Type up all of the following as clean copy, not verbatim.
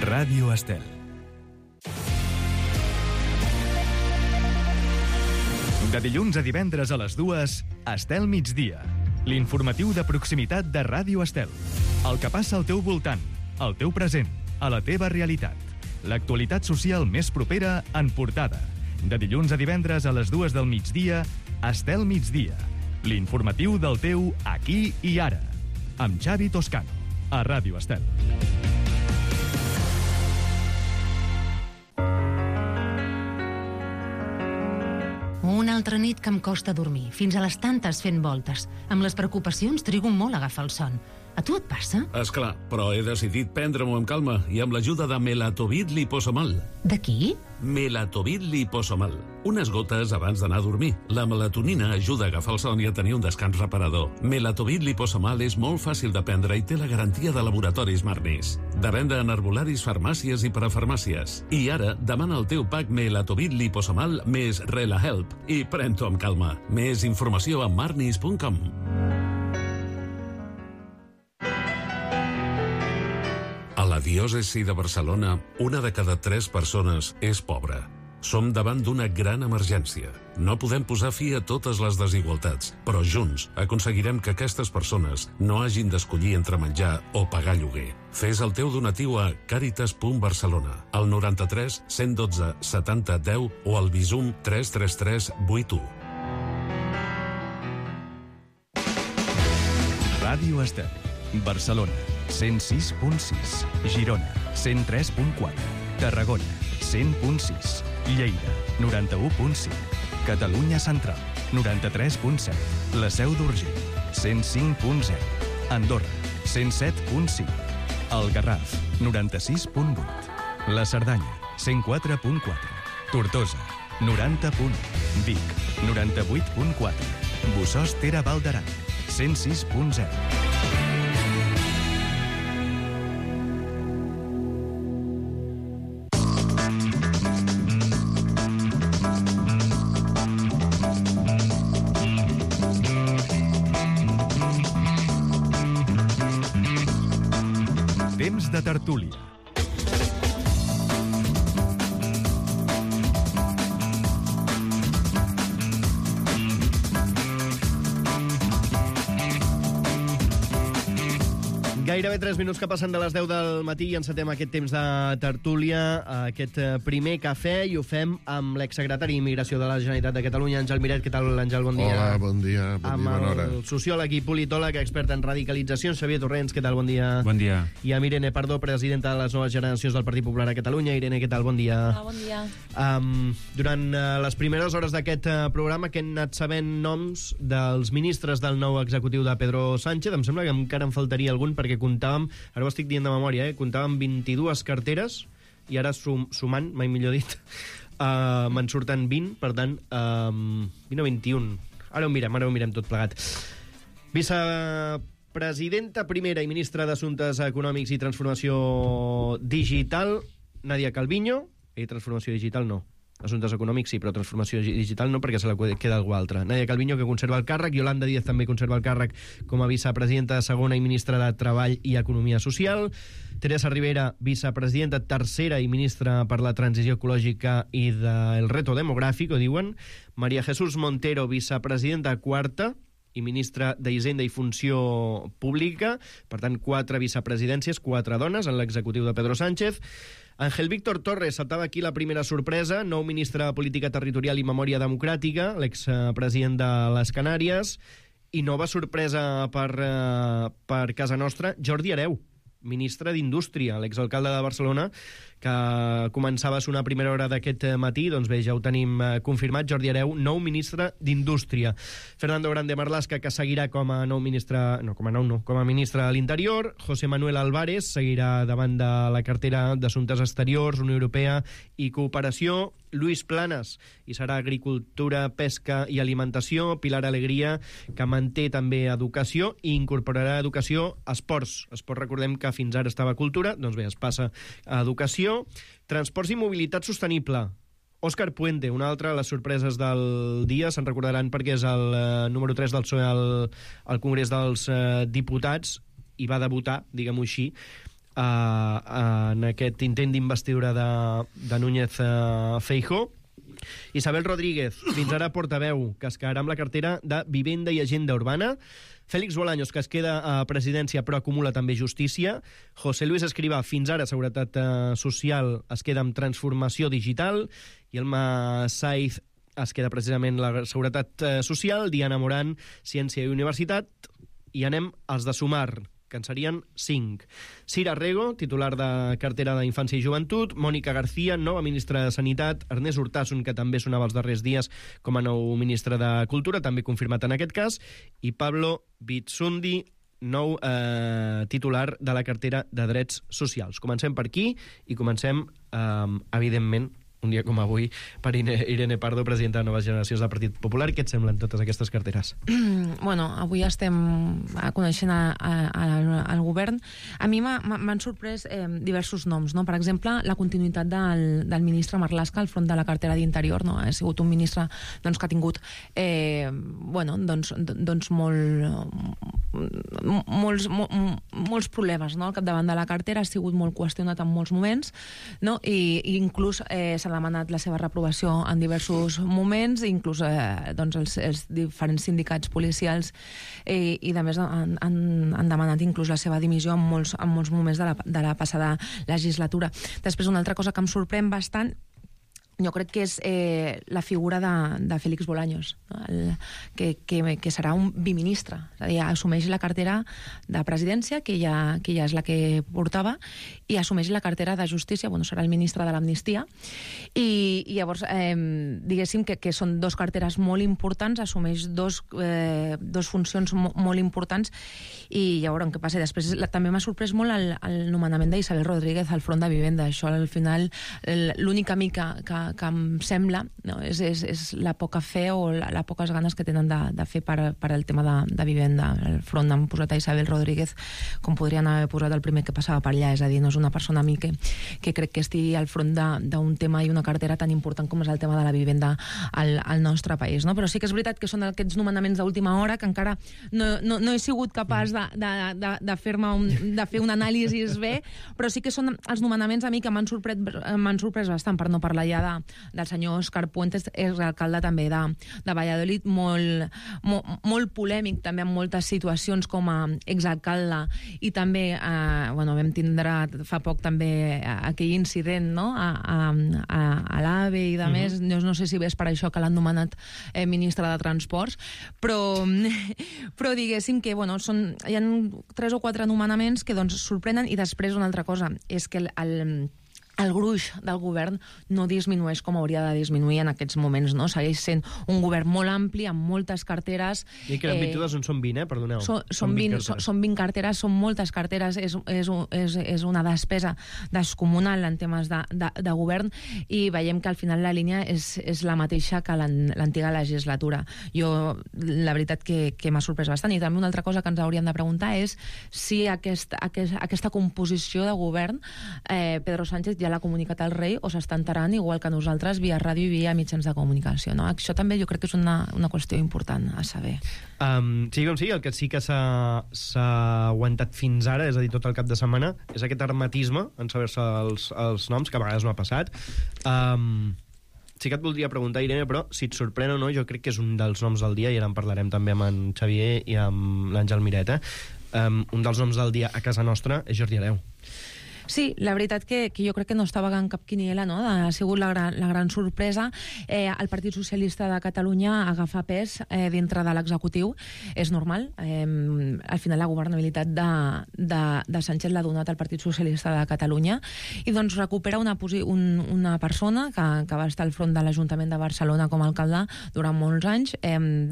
Ràdio Estel. De dilluns a divendres a les 2, Estel Migdia. L'informatiu de proximitat de Ràdio Estel. El que passa al teu voltant, al teu present, a la teva realitat. L'actualitat social més propera en portada. De dilluns a divendres a les 2 del migdia, Estel Migdia. L'informatiu del teu aquí i ara. Amb Xavi Toscano, a Ràdio Estel. Una altra nit que em costa dormir, fins a les tantes fent voltes. Amb les preocupacions trigo molt a agafar el son. A tu et passa? Esclar, però he decidit prendre-m'ho amb calma i amb l'ajuda de Melatovit Liposomal. De qui? Melatovit Liposomal. Unes gotes abans d'anar a dormir. La melatonina ajuda a agafar el son i a tenir un descans reparador. Melatovit Liposomal és molt fàcil de prendre i té la garantia de Laboratoris Marnis. De venda en herbolaris, farmàcies i parafarmàcies. I ara demana el teu pack Melatovit Liposomal més RelaHelp i pren-t'ho amb calma. Més informació a marnis.com. A la diòcesi de Barcelona, 1 de cada 3 persones és pobra. Som davant d'una gran emergència. No podem posar fi a totes les desigualtats, però junts aconseguirem que aquestes persones no hagin d'escollir entre menjar o pagar lloguer. Fes el teu donatiu a caritas.barcelona, al 93 112 70 10 o al Bizum 333 81. Ràdio Estel. Barcelona, 106.6. Girona, 103.4. Tarragona, 100.6. Lleida, 91.5. Catalunya Central, 93.7. La Seu d'Urgell, 105.0. Andorra, 107.5. El Garraf, 96.8. La Cerdanya, 104.4. Tortosa, 90.1. Vic, 98.4. Bossòst Ter Val d'Aran, 106.0. Temps de tertúlia. Gairebé 3 minuts que passen de les 10 del matí i encetem aquest temps de tertúlia, aquest primer cafè, i ho fem amb l'exsecretari d'Immigració de la Generalitat de Catalunya, Àngel Miret. Què tal, Àngel? Bon dia. Hola, bon dia. Bona hora. Amb el sociòleg i politòleg expert en radicalització, Xavier Torrents. Què tal? Bon dia. Bon dia. I amb Irene Pardo, presidenta de les noves generacions del Partit Popular a Catalunya. Irene, què tal? Bon dia. Hola, bon dia. Durant les primeres hores d'aquest programa que hem anat sabent noms dels ministres del nou executiu de Pedro Sánchez. Em sembla que encara em faltaria algun, perquè comptàvem, ara ho estic dient de memòria, comptàvem 22 carteres i ara sumant, mai millor dit, me'n surten 20, per tant, 20 o 21. Ara ho mirem tot plegat. Vicepresidenta primera i ministra d'Assumptes Econòmics i Transformació Digital, Nadia Calviño. Transformació digital no. Assumptes econòmics sí, però transformació digital no, perquè se la queda algú altre. Nadia Calviño, que conserva el càrrec, Yolanda Díaz també conserva el càrrec com a vicepresidenta segona i ministra de Treball i Economia Social. Teresa Rivera, vicepresidenta tercera i ministra per la Transició Ecològica i del Reto Demogràfic, ho diuen. María Jesús Montero, vicepresidenta quarta i ministra d'Hisenda i Funció Pública. Per tant, 4 vicepresidències, 4 dones en l'executiu de Pedro Sánchez. Ángel Víctor Torres, saltava aquí la primera sorpresa, nou ministre de Política Territorial i Memòria Democràtica, l'expresident de les Canàries, i nova sorpresa per casa nostra, Jordi Hereu, ministre d'Indústria, l'exalcalde de Barcelona, que començava a sonar a primera hora d'aquest matí. Doncs bé, ja ho tenim confirmat, Jordi Hereu, nou ministre d'Indústria. Fernando Grande Marlaska, que seguirà com a ministre de l'Interior. José Manuel Álvarez seguirà davant de la cartera d'Assumptes Exteriors, Unió Europea i Cooperació. Luis Planas, i serà Agricultura, Pesca i Alimentació. Pilar Alegria, que manté també Educació i incorporarà Educació a Esports. Esports, recordem que fins ara estava a Cultura, doncs bé, es passa a Educació. Transports i Mobilitat Sostenible. Òscar Puente, una altra de les sorpreses del dia, se'n recordaran perquè és el número 3 del PSOE al Congrés dels Diputats i va debutar, diguem-ho així, en aquest intent d'investidura de Núñez Feijóo. Isabel Rodríguez, fins ara portaveu, que es quedarà amb la cartera de Vivenda i Agenda Urbana. Félix Bolaños, que es queda a presidència però acumula també justícia. José Luis Escrivá, fins ara Seguretat Social, es queda amb Transformació Digital. I Elma Saiz es queda precisament la Seguretat Social. Diana Morán, Ciència i Universitat. I anem als de Sumar, que en serien 5. Cira Rego, titular de cartera d'Infància i Joventut. Mònica García, nova ministra de Sanitat. Ernest Urtasun, que també sonava els darrers dies com a nou ministre de Cultura, també confirmat en aquest cas. I Pablo Bitsundi, nou titular de la cartera de Drets Socials. Comencem per aquí i comencem, evidentment, un dia com avui, per Irene Pardo, presidenta de Noves Generacions del Partit Popular. Què et semblen totes aquestes carteres? Bueno, avui estem coneixent el govern. A mi m'han sorprès diversos noms, no? Per exemple, la continuïtat del ministre Marlaska al front de la cartera d'Interior, no? Ha sigut un ministre que ha tingut molts problemes, no? Al capdavant de la cartera, ha sigut molt qüestionat en molts moments, no? I inclús s'ha demanat la seva reprovació en diversos moments, inclús els diferents sindicats policials i de més han demanat inclús la seva dimissió en molts moments de la passada legislatura. Després, una altra cosa que em sorprèn bastant, jo crec que és la figura de Félix Bolaños, no? que serà un biministre, és a dir, assumeix la cartera de presidència, que ja és la que portava, i assumeix la cartera de justícia, serà el ministre de l'amnistia, i llavors diguéssim que són dos carteres molt importants, assumeix dos funcions molt importants, i ja veurem què passa. Després també m'ha sorprès molt el nomenament d'Isabel Rodríguez al front de Vivenda. Això al final l'única mica que em sembla, no, és la poca fe o les poques ganes que tenen de fer per al tema de vivenda. Al front han posat a Isabel Rodríguez com podrien haver posat el primer que passava per allà, és a dir, no és una persona a mi que crec que estigui al front d'un tema i una cartera tan important com és el tema de la vivenda al nostre país, no? Però sí que és veritat que són aquests nomenaments d'última hora que encara no he sigut capaç de fer un anàlisi bé, però sí que són els nomenaments a mi que m'han sorprès bastant, per no parlar ja del senyor Òscar Puentes, és alcalde també de Valladolid, molt polèmic també en moltes situacions com a exalcalde, i també vam tindre fa poc també aquell incident, no? a l'AVE i de més. No sé si és per això que l'han nomenat ministre de Transports, però diguéssim que hi ha 3 o 4 nomenaments que sorprenen. I després una altra cosa és que el gruix del govern no disminueix com hauria de disminuir en aquests moments, no? Segueix sent un govern molt ampli, amb moltes carteres. I que en 22 són 20, perdoneu. Són 20 carteres, són moltes carteres, és una despesa descomunal en temes de govern, i veiem que al final la línia és la mateixa que l'antiga legislatura. Jo, la veritat que m'ha sorprès bastant. I també una altra cosa que ens hauríem de preguntar és si aquesta composició de govern Pedro Sánchez ja l'ha comunicat al rei o s'està enterant igual que nosaltres via ràdio i via mitjans de comunicació, no? Això també jo crec que és una qüestió important a saber. Sí com sí, el que sí que s'ha aguantat fins ara, és a dir, tot el cap de setmana, és aquest hermetisme en saber-se els noms, que a vegades no ha passat. Sí que et voldria preguntar, Irene, però si et sorprèn o no, jo crec que és un dels noms del dia, i ara en parlarem també amb en Xavier i amb l'Àngel Mireta. Un dels noms del dia a casa nostra és Jordi Hereu. Sí, la veritat que jo crec que no estava en cap quiniela, no? Ha sigut la gran sorpresa. El Partit Socialista de Catalunya agafa pes dintre de l'executiu. És normal. Al final la governabilitat de Sánchez l'ha donat al Partit Socialista de Catalunya, i doncs recupera una persona que va estar al front de l'Ajuntament de Barcelona com a alcalde durant molts anys.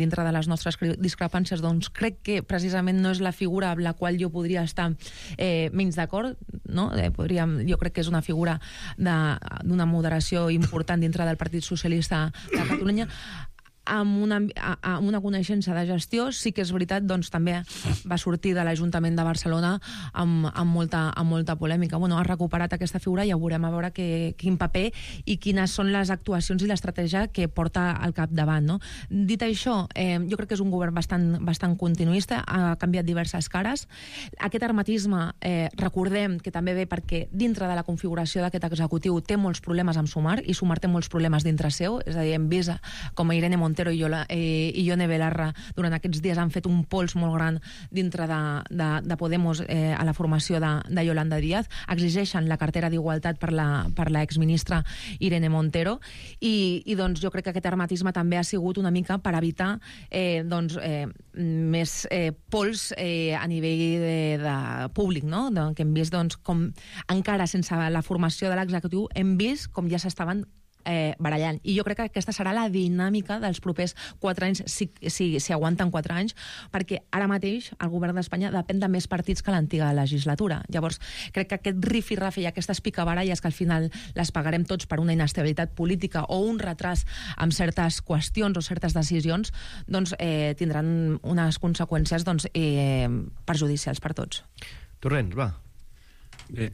Dintre de les nostres discrepàncies, doncs crec que precisament no és la figura amb la qual jo podria estar menys d'acord, no? Jo crec que és una figura d'una moderació important dintre del Partit Socialista de Catalunya. amb una coneixença de gestió. Sí que és veritat, doncs també va sortir de l'Ajuntament de Barcelona amb molta polèmica. Bueno, ha recuperat aquesta figura i ja veurem a veure quin paper i quines són les actuacions i l'estratègia que porta al capdavant, no? Dit això, jo crec que és un govern bastant continuista, ha canviat diverses cares. Aquest hermetisme, recordem que també ve perquè dintre de la configuració d'aquest executiu té molts problemes amb Sumar, i Sumar té molts problemes dintre seu, és a dir, hem vist com Irene Montero i Ione Belarra durant aquests dies han fet un pols molt gran dintre de Podemos a la formació de Yolanda Díaz, exigeixen la cartera d'Igualtat per la exministra Irene Montero, i doncs jo crec que aquest hermetisme també ha sigut una mica per evitar més pols a nivell de públic, no? Que hem vist com encara sense la formació de l'executiu hem vist com ja s'estaven barallant. I jo crec que aquesta serà la dinàmica dels propers 4 anys, si aguanten 4 anys, perquè ara mateix el govern d'Espanya depèn de més partits que l'antiga legislatura. Llavors, crec que aquest rifirrafe i aquestes picabaralles que al final les pagarem tots per una inestabilitat política o un retras amb certes qüestions o certes decisions, doncs tindran unes conseqüències perjudicials per tots. Torrents, va. Bé,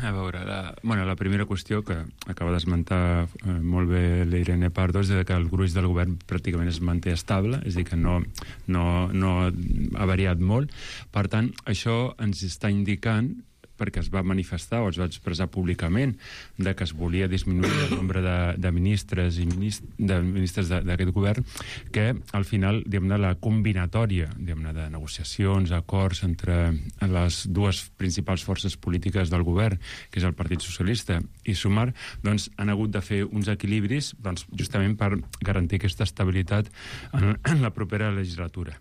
a veure, la primera qüestió que acaba d'esmentar molt bé l'Irene Pardo és que el gruix del govern pràcticament es manté estable, és a dir, que no ha variat molt. Per tant, això ens està indicant, perquè es va manifestar o es va expressar públicament de que es volia disminuir el nombre de ministres i de ministres d'aquest govern, que al final, diguem-ne, la combinatòria, diguem-ne, de negociacions, acords entre les dues principals forces polítiques del govern, que és el Partit Socialista i Sumar, doncs han hagut de fer uns equilibris justament per garantir aquesta estabilitat en la propera legislatura.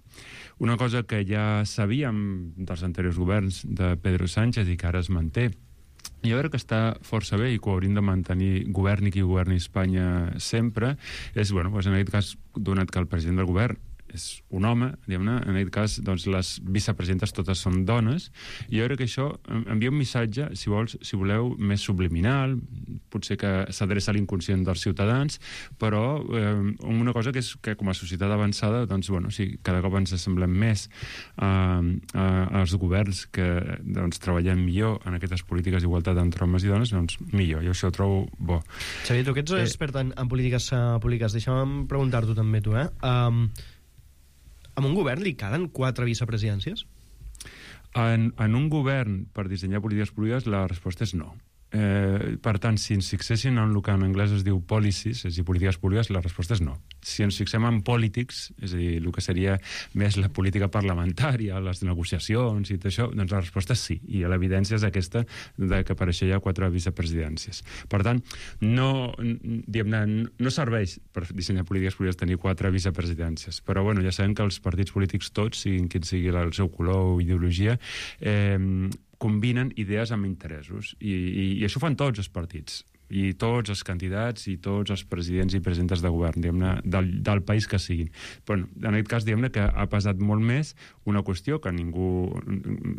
Una cosa que ja sabíem dels anteriors governs de Pedro Sánchez i que ara es manté, i jo crec que està força bé i que ho hauríem de mantenir governi qui governi Espanya sempre, és, en aquest cas, donat que el president del govern és un home, diguem-ne, en aquest cas, doncs, les vicepresidentes totes són dones, i jo crec que això envia un missatge, si voleu, més subliminal, potser que s'adreça a l'inconscient dels ciutadans, però una cosa que és que com a societat avançada, doncs, cada cop ens assemblem més als governs que treballen millor en aquestes polítiques d'igualtat entre homes i dones, doncs millor, jo això ho trobo bo. Xavier, tu que ets expert en polítiques públiques, deixa'm preguntar-t'ho també tu, en un govern li calen 4 vicepresidències? En un govern, per dissenyar polítiques públiques, la resposta és no. Per tant, si ens fixessin en el que en anglès es diu policies, és a dir, polítiques públiques, la resposta és no. Si ens fixem en politics, és a dir, el que seria més la política parlamentària, les negociacions i tot això, doncs la resposta és sí. I l'evidència és aquesta de que per això hi ha 4 vicepresidències. Per tant, no serveix per dissenyar polítiques públiques tenir 4 vicepresidències. Però ja sabem que els partits polítics tots, siguin quin sigui el seu color o ideologia, combinen idees amb interessos, i això fan tots els partits, i tots els candidats i tots els presidents i presidentes de govern, diguem-ne, del país que siguin. Però en aquest cas, diguem-ne, que ha pesat molt més una qüestió que a ningú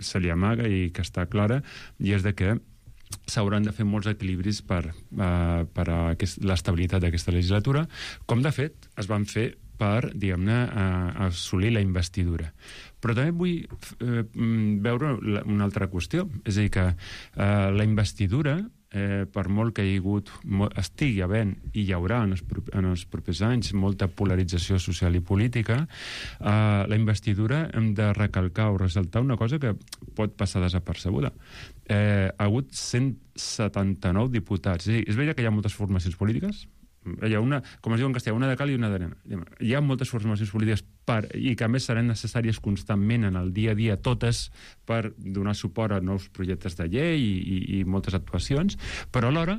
se li amaga i que està clara, i és de que s'hauran de fer molts equilibris per a l'estabilitat d'aquesta legislatura, com de fet es van fer per, diguem-ne, assolir la investidura. Però també vull veure una altra qüestió, és a dir, que la investidura, per molt que estigui havent i hi haurà en els propers anys molta polarització social i política, la investidura hem de recalcar o ressaltar una cosa que pot passar desapercebuda. Ha hagut 179 diputats. És veritat que hi ha moltes formacions polítiques, hi ha una, com es diu en castellà, una de cal i una d'arena. Hi ha moltes formacions polítiques i que a més seran necessàries constantment en el dia a dia, totes per donar suport a nous projectes de llei i moltes actuacions, però alhora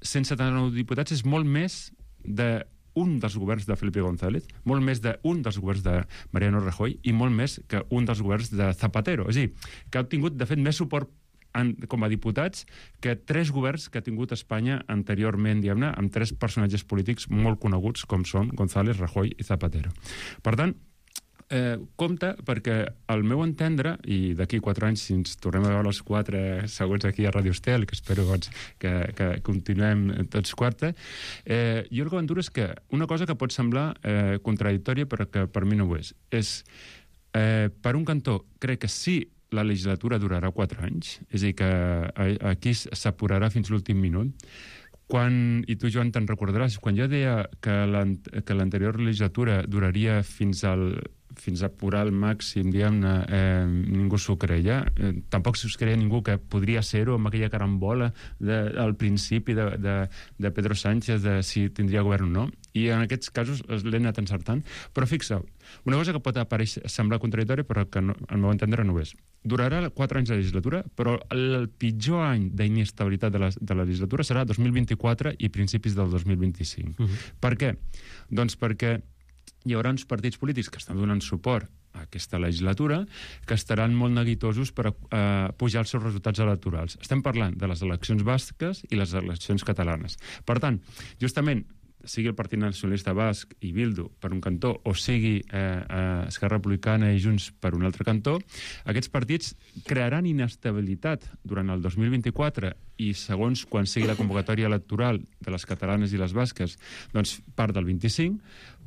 179 diputats és molt més d'un dels governs de Felipe González, molt més d'un dels governs de Mariano Rajoy i molt més que un dels governs de Zapatero. És a dir, que ha obtingut, de fet, més suport com a diputats que 3 governs que ha tingut Espanya anteriorment, diguem-ne, amb 3 personatges polítics molt coneguts com són González, Rajoy i Zapatero. Per tant, compte, perquè al meu entendre, i d'aquí 4 anys, si ens tornem a veure els 4 segons aquí a Radio Estel, que espero doncs, que continuem tots quarta, jo el que aventuro és que una cosa que pot semblar contradictòria, però que per mi no ho és per un cantó, crec que sí, la legislatura durarà 4 anys, és a dir, que aquí s'apurarà fins l'últim minut. I tu, Joan, te'n recordaràs, quan jo deia que l'anterior legislatura duraria fins a apurar al màxim, diguem-ne, ningú s'ho creia. Tampoc s'ho creia ningú que podria ser-ho amb aquella carambola al principi de Pedro Sánchez de si tindria govern o no. I en aquests casos l'he anat encertant. Però fixeu, una cosa que pot semblar contradictòria, però que al meu entendre no ho és. Durarà 4 anys de legislatura, però el pitjor any d'inestabilitat de la legislatura serà 2024 i principis del 2025. Per què? Doncs perquè hi haurà uns partits polítics que estan donant suport a aquesta legislatura que estaran molt neguitosos per pujar els seus resultats electorals. Estem parlant de les eleccions basques i les eleccions catalanes. Per tant, justament, sigui el Partit Nacionalista Basc i Bildu per un cantó, o sigui Esquerra Republicana i Junts per un altre cantó, aquests partits crearan inestabilitat durant el 2024 i segons quan sigui la convocatòria electoral de les catalanes i les basques, doncs part del 25,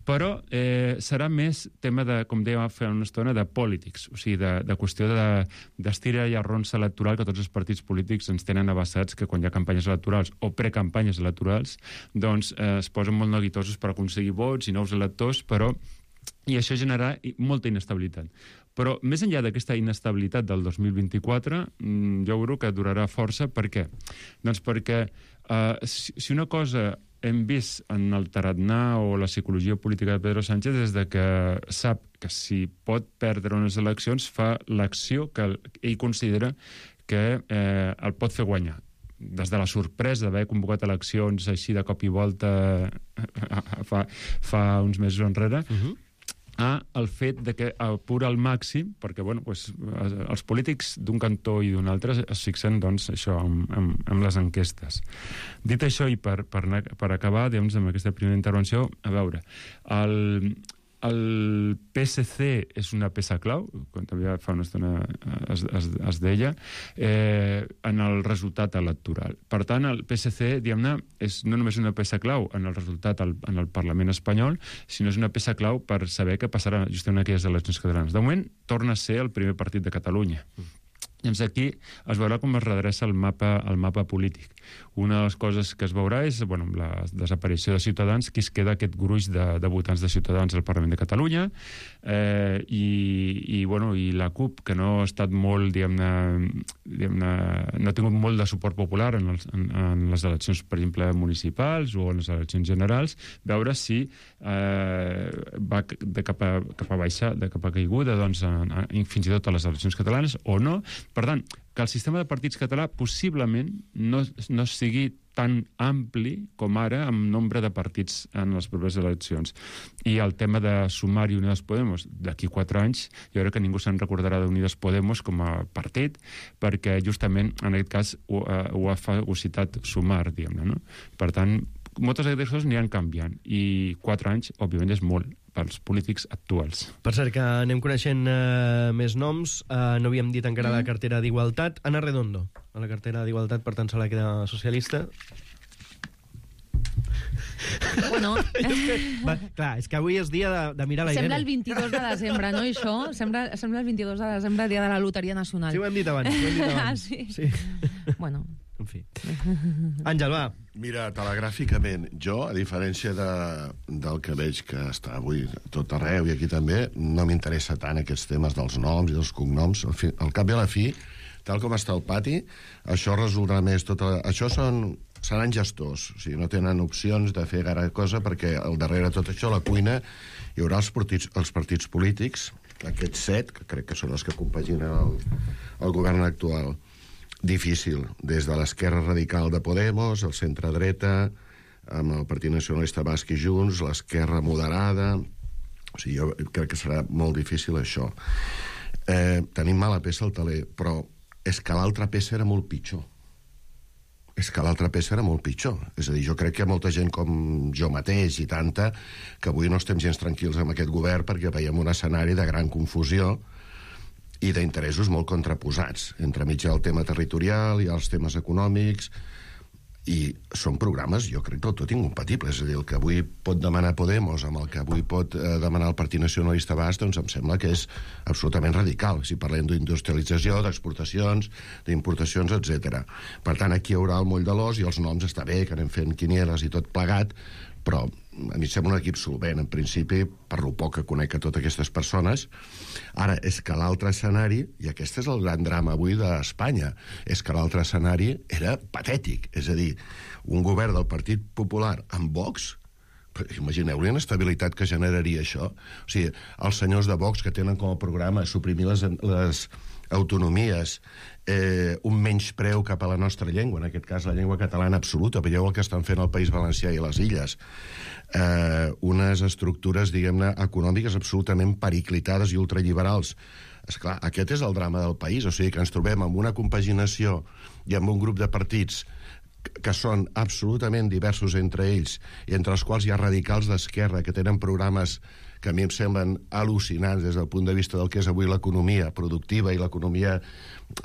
però serà més tema de, com dèiem fa una estona, de polítics, o sigui, de qüestió d'estira i arronsa electoral que tots els partits polítics ens tenen abassats, que quan hi ha campanyes electorals o precampanyes electorals, doncs es posen molt neguitosos per aconseguir vots i nous electors, i això generarà molta inestabilitat. Però més enllà d'aquesta inestabilitat del 2024, jo crec que durarà força. Per què? Doncs perquè si una cosa hem vist en el tarannà o la psicologia política de Pedro Sánchez és de que sap que si pot perdre unes eleccions fa l'acció que ell considera que el pot fer guanyar. Des de la sorpresa d'haver convocat eleccions així de cop i volta fa uns mesos enrere, el fet de que apura al màxim, perquè els polítics d'un cantó i d'un altre es fixen això amb les enquestes. Dit això, i per acabar amb aquesta primera intervenció, a veure, el PSC és una peça clau, com també fa una estona es deia, en el resultat electoral. Per tant, el PSC, diguem-ne, és no només una peça clau en el resultat en el Parlament espanyol, sinó és una peça clau per saber què passarà justament en aquelles eleccions catalanes. De moment, torna a ser el primer partit de Catalunya. Llavors aquí es veurà com es redreça el mapa polític. Una de les coses que es veurà és la desaparició de Ciutadans, qui es queda aquest gruix de votants de Ciutadans al Parlament de Catalunya, i la CUP, que no ha estat molt, no ha tingut molt de suport popular en les eleccions, per exemple, municipals o en les eleccions generals, veure si va cap a baixar, cap a caiguda, fins i tot a les eleccions catalanes o no. Per tant, que el sistema de partits català possiblement no sigui tan ampli com ara amb nombre de partits en les properes eleccions. I el tema de sumar i Unides Podemos, d'aquí 4 anys, jo crec que ningú se'n recordarà d'Unides Podemos com a partit, perquè justament en aquest cas ho ha fagocitat sumar, diguem-ne, no? Per tant, moltes d'aquestes coses aniran canviant, i 4 anys, òbviament, és molt pels polítics actuals. Per cert, que anem coneixent més noms. No havíem dit encara la cartera d'Igualtat. Ana Redondo, a la cartera d'Igualtat, per tant, se la queda socialista. Bueno... Clar, és que avui és dia de mirar la Irene. Sembla el 22 de desembre, no, això? Sembla el 22 de desembre, dia de la Loteria Nacional. Sí, ho hem dit abans. Sí. Bueno... En fi. Àngel, va. Mira, telegràficament, jo, a diferència del que veig que està avui tot arreu i aquí també, no m'interessa tant aquests temes dels noms i dels cognoms. Al cap i a la fi, tal com està el pati, això resoldrà més això seran gestors, o sigui, no tenen opcions de fer gaire cosa, perquè al darrere de tot això, a la cuina, hi haurà els partits polítics, aquests 7, que crec que són els que compaginen el govern actual. Difícil, des de l'esquerra radical de Podemos, el centre-dreta, amb el Partit Nacionalista Basc i Junts, l'esquerra moderada... O sigui, jo crec que serà molt difícil això. Tenim mala peça al taler, però és que l'altra peça era molt pitjor. és que l'altra peça era molt pitjor. És a dir, jo crec que hi ha molta gent com jo mateix i tanta que avui no estem gens tranquils amb aquest govern perquè veiem un escenari de gran confusió i d'interessos molt contraposats. Entremig hi ha el tema territorial, hi ha els temes econòmics, i són programes, jo crec, del tot incompatibles. És a dir, el que avui pot demanar Podemos amb el que avui pot demanar el Partit Nacionalista Basc, doncs em sembla que és absolutament radical, si parlem d'industrialització, d'exportacions, d'importacions, etc. Per tant, aquí hi haurà el moll de l'os i els noms està bé, que anem fent quinieles i tot plegat, però a mi sembla un equip solvent, en principi, per lo poc que conec a totes aquestes persones. Ara, és que l'altre escenari, i aquest és el gran drama avui d'Espanya, és que l'altre escenari era patètic. És a dir, un govern del Partit Popular amb Vox, imagineu-li l'inestabilitat que generaria això. O sigui, els senyors de Vox que tenen com a programa suprimir les autonomies, un menyspreu cap a la nostra llengua, en aquest cas la llengua catalana absoluta, veieu el que estan fent al País Valencià i a les Illes, unes estructures, diguem-ne, econòmiques absolutament periclitades i ultraliberals. Esclar, aquest és el drama del país, o sigui que ens trobem amb una compaginació i amb un grup de partits que són absolutament diversos entre ells i entre els quals hi ha radicals d'esquerra que tenen programes que a mi em semblen al·lucinants des del punt de vista del que és avui l'economia productiva i l'economia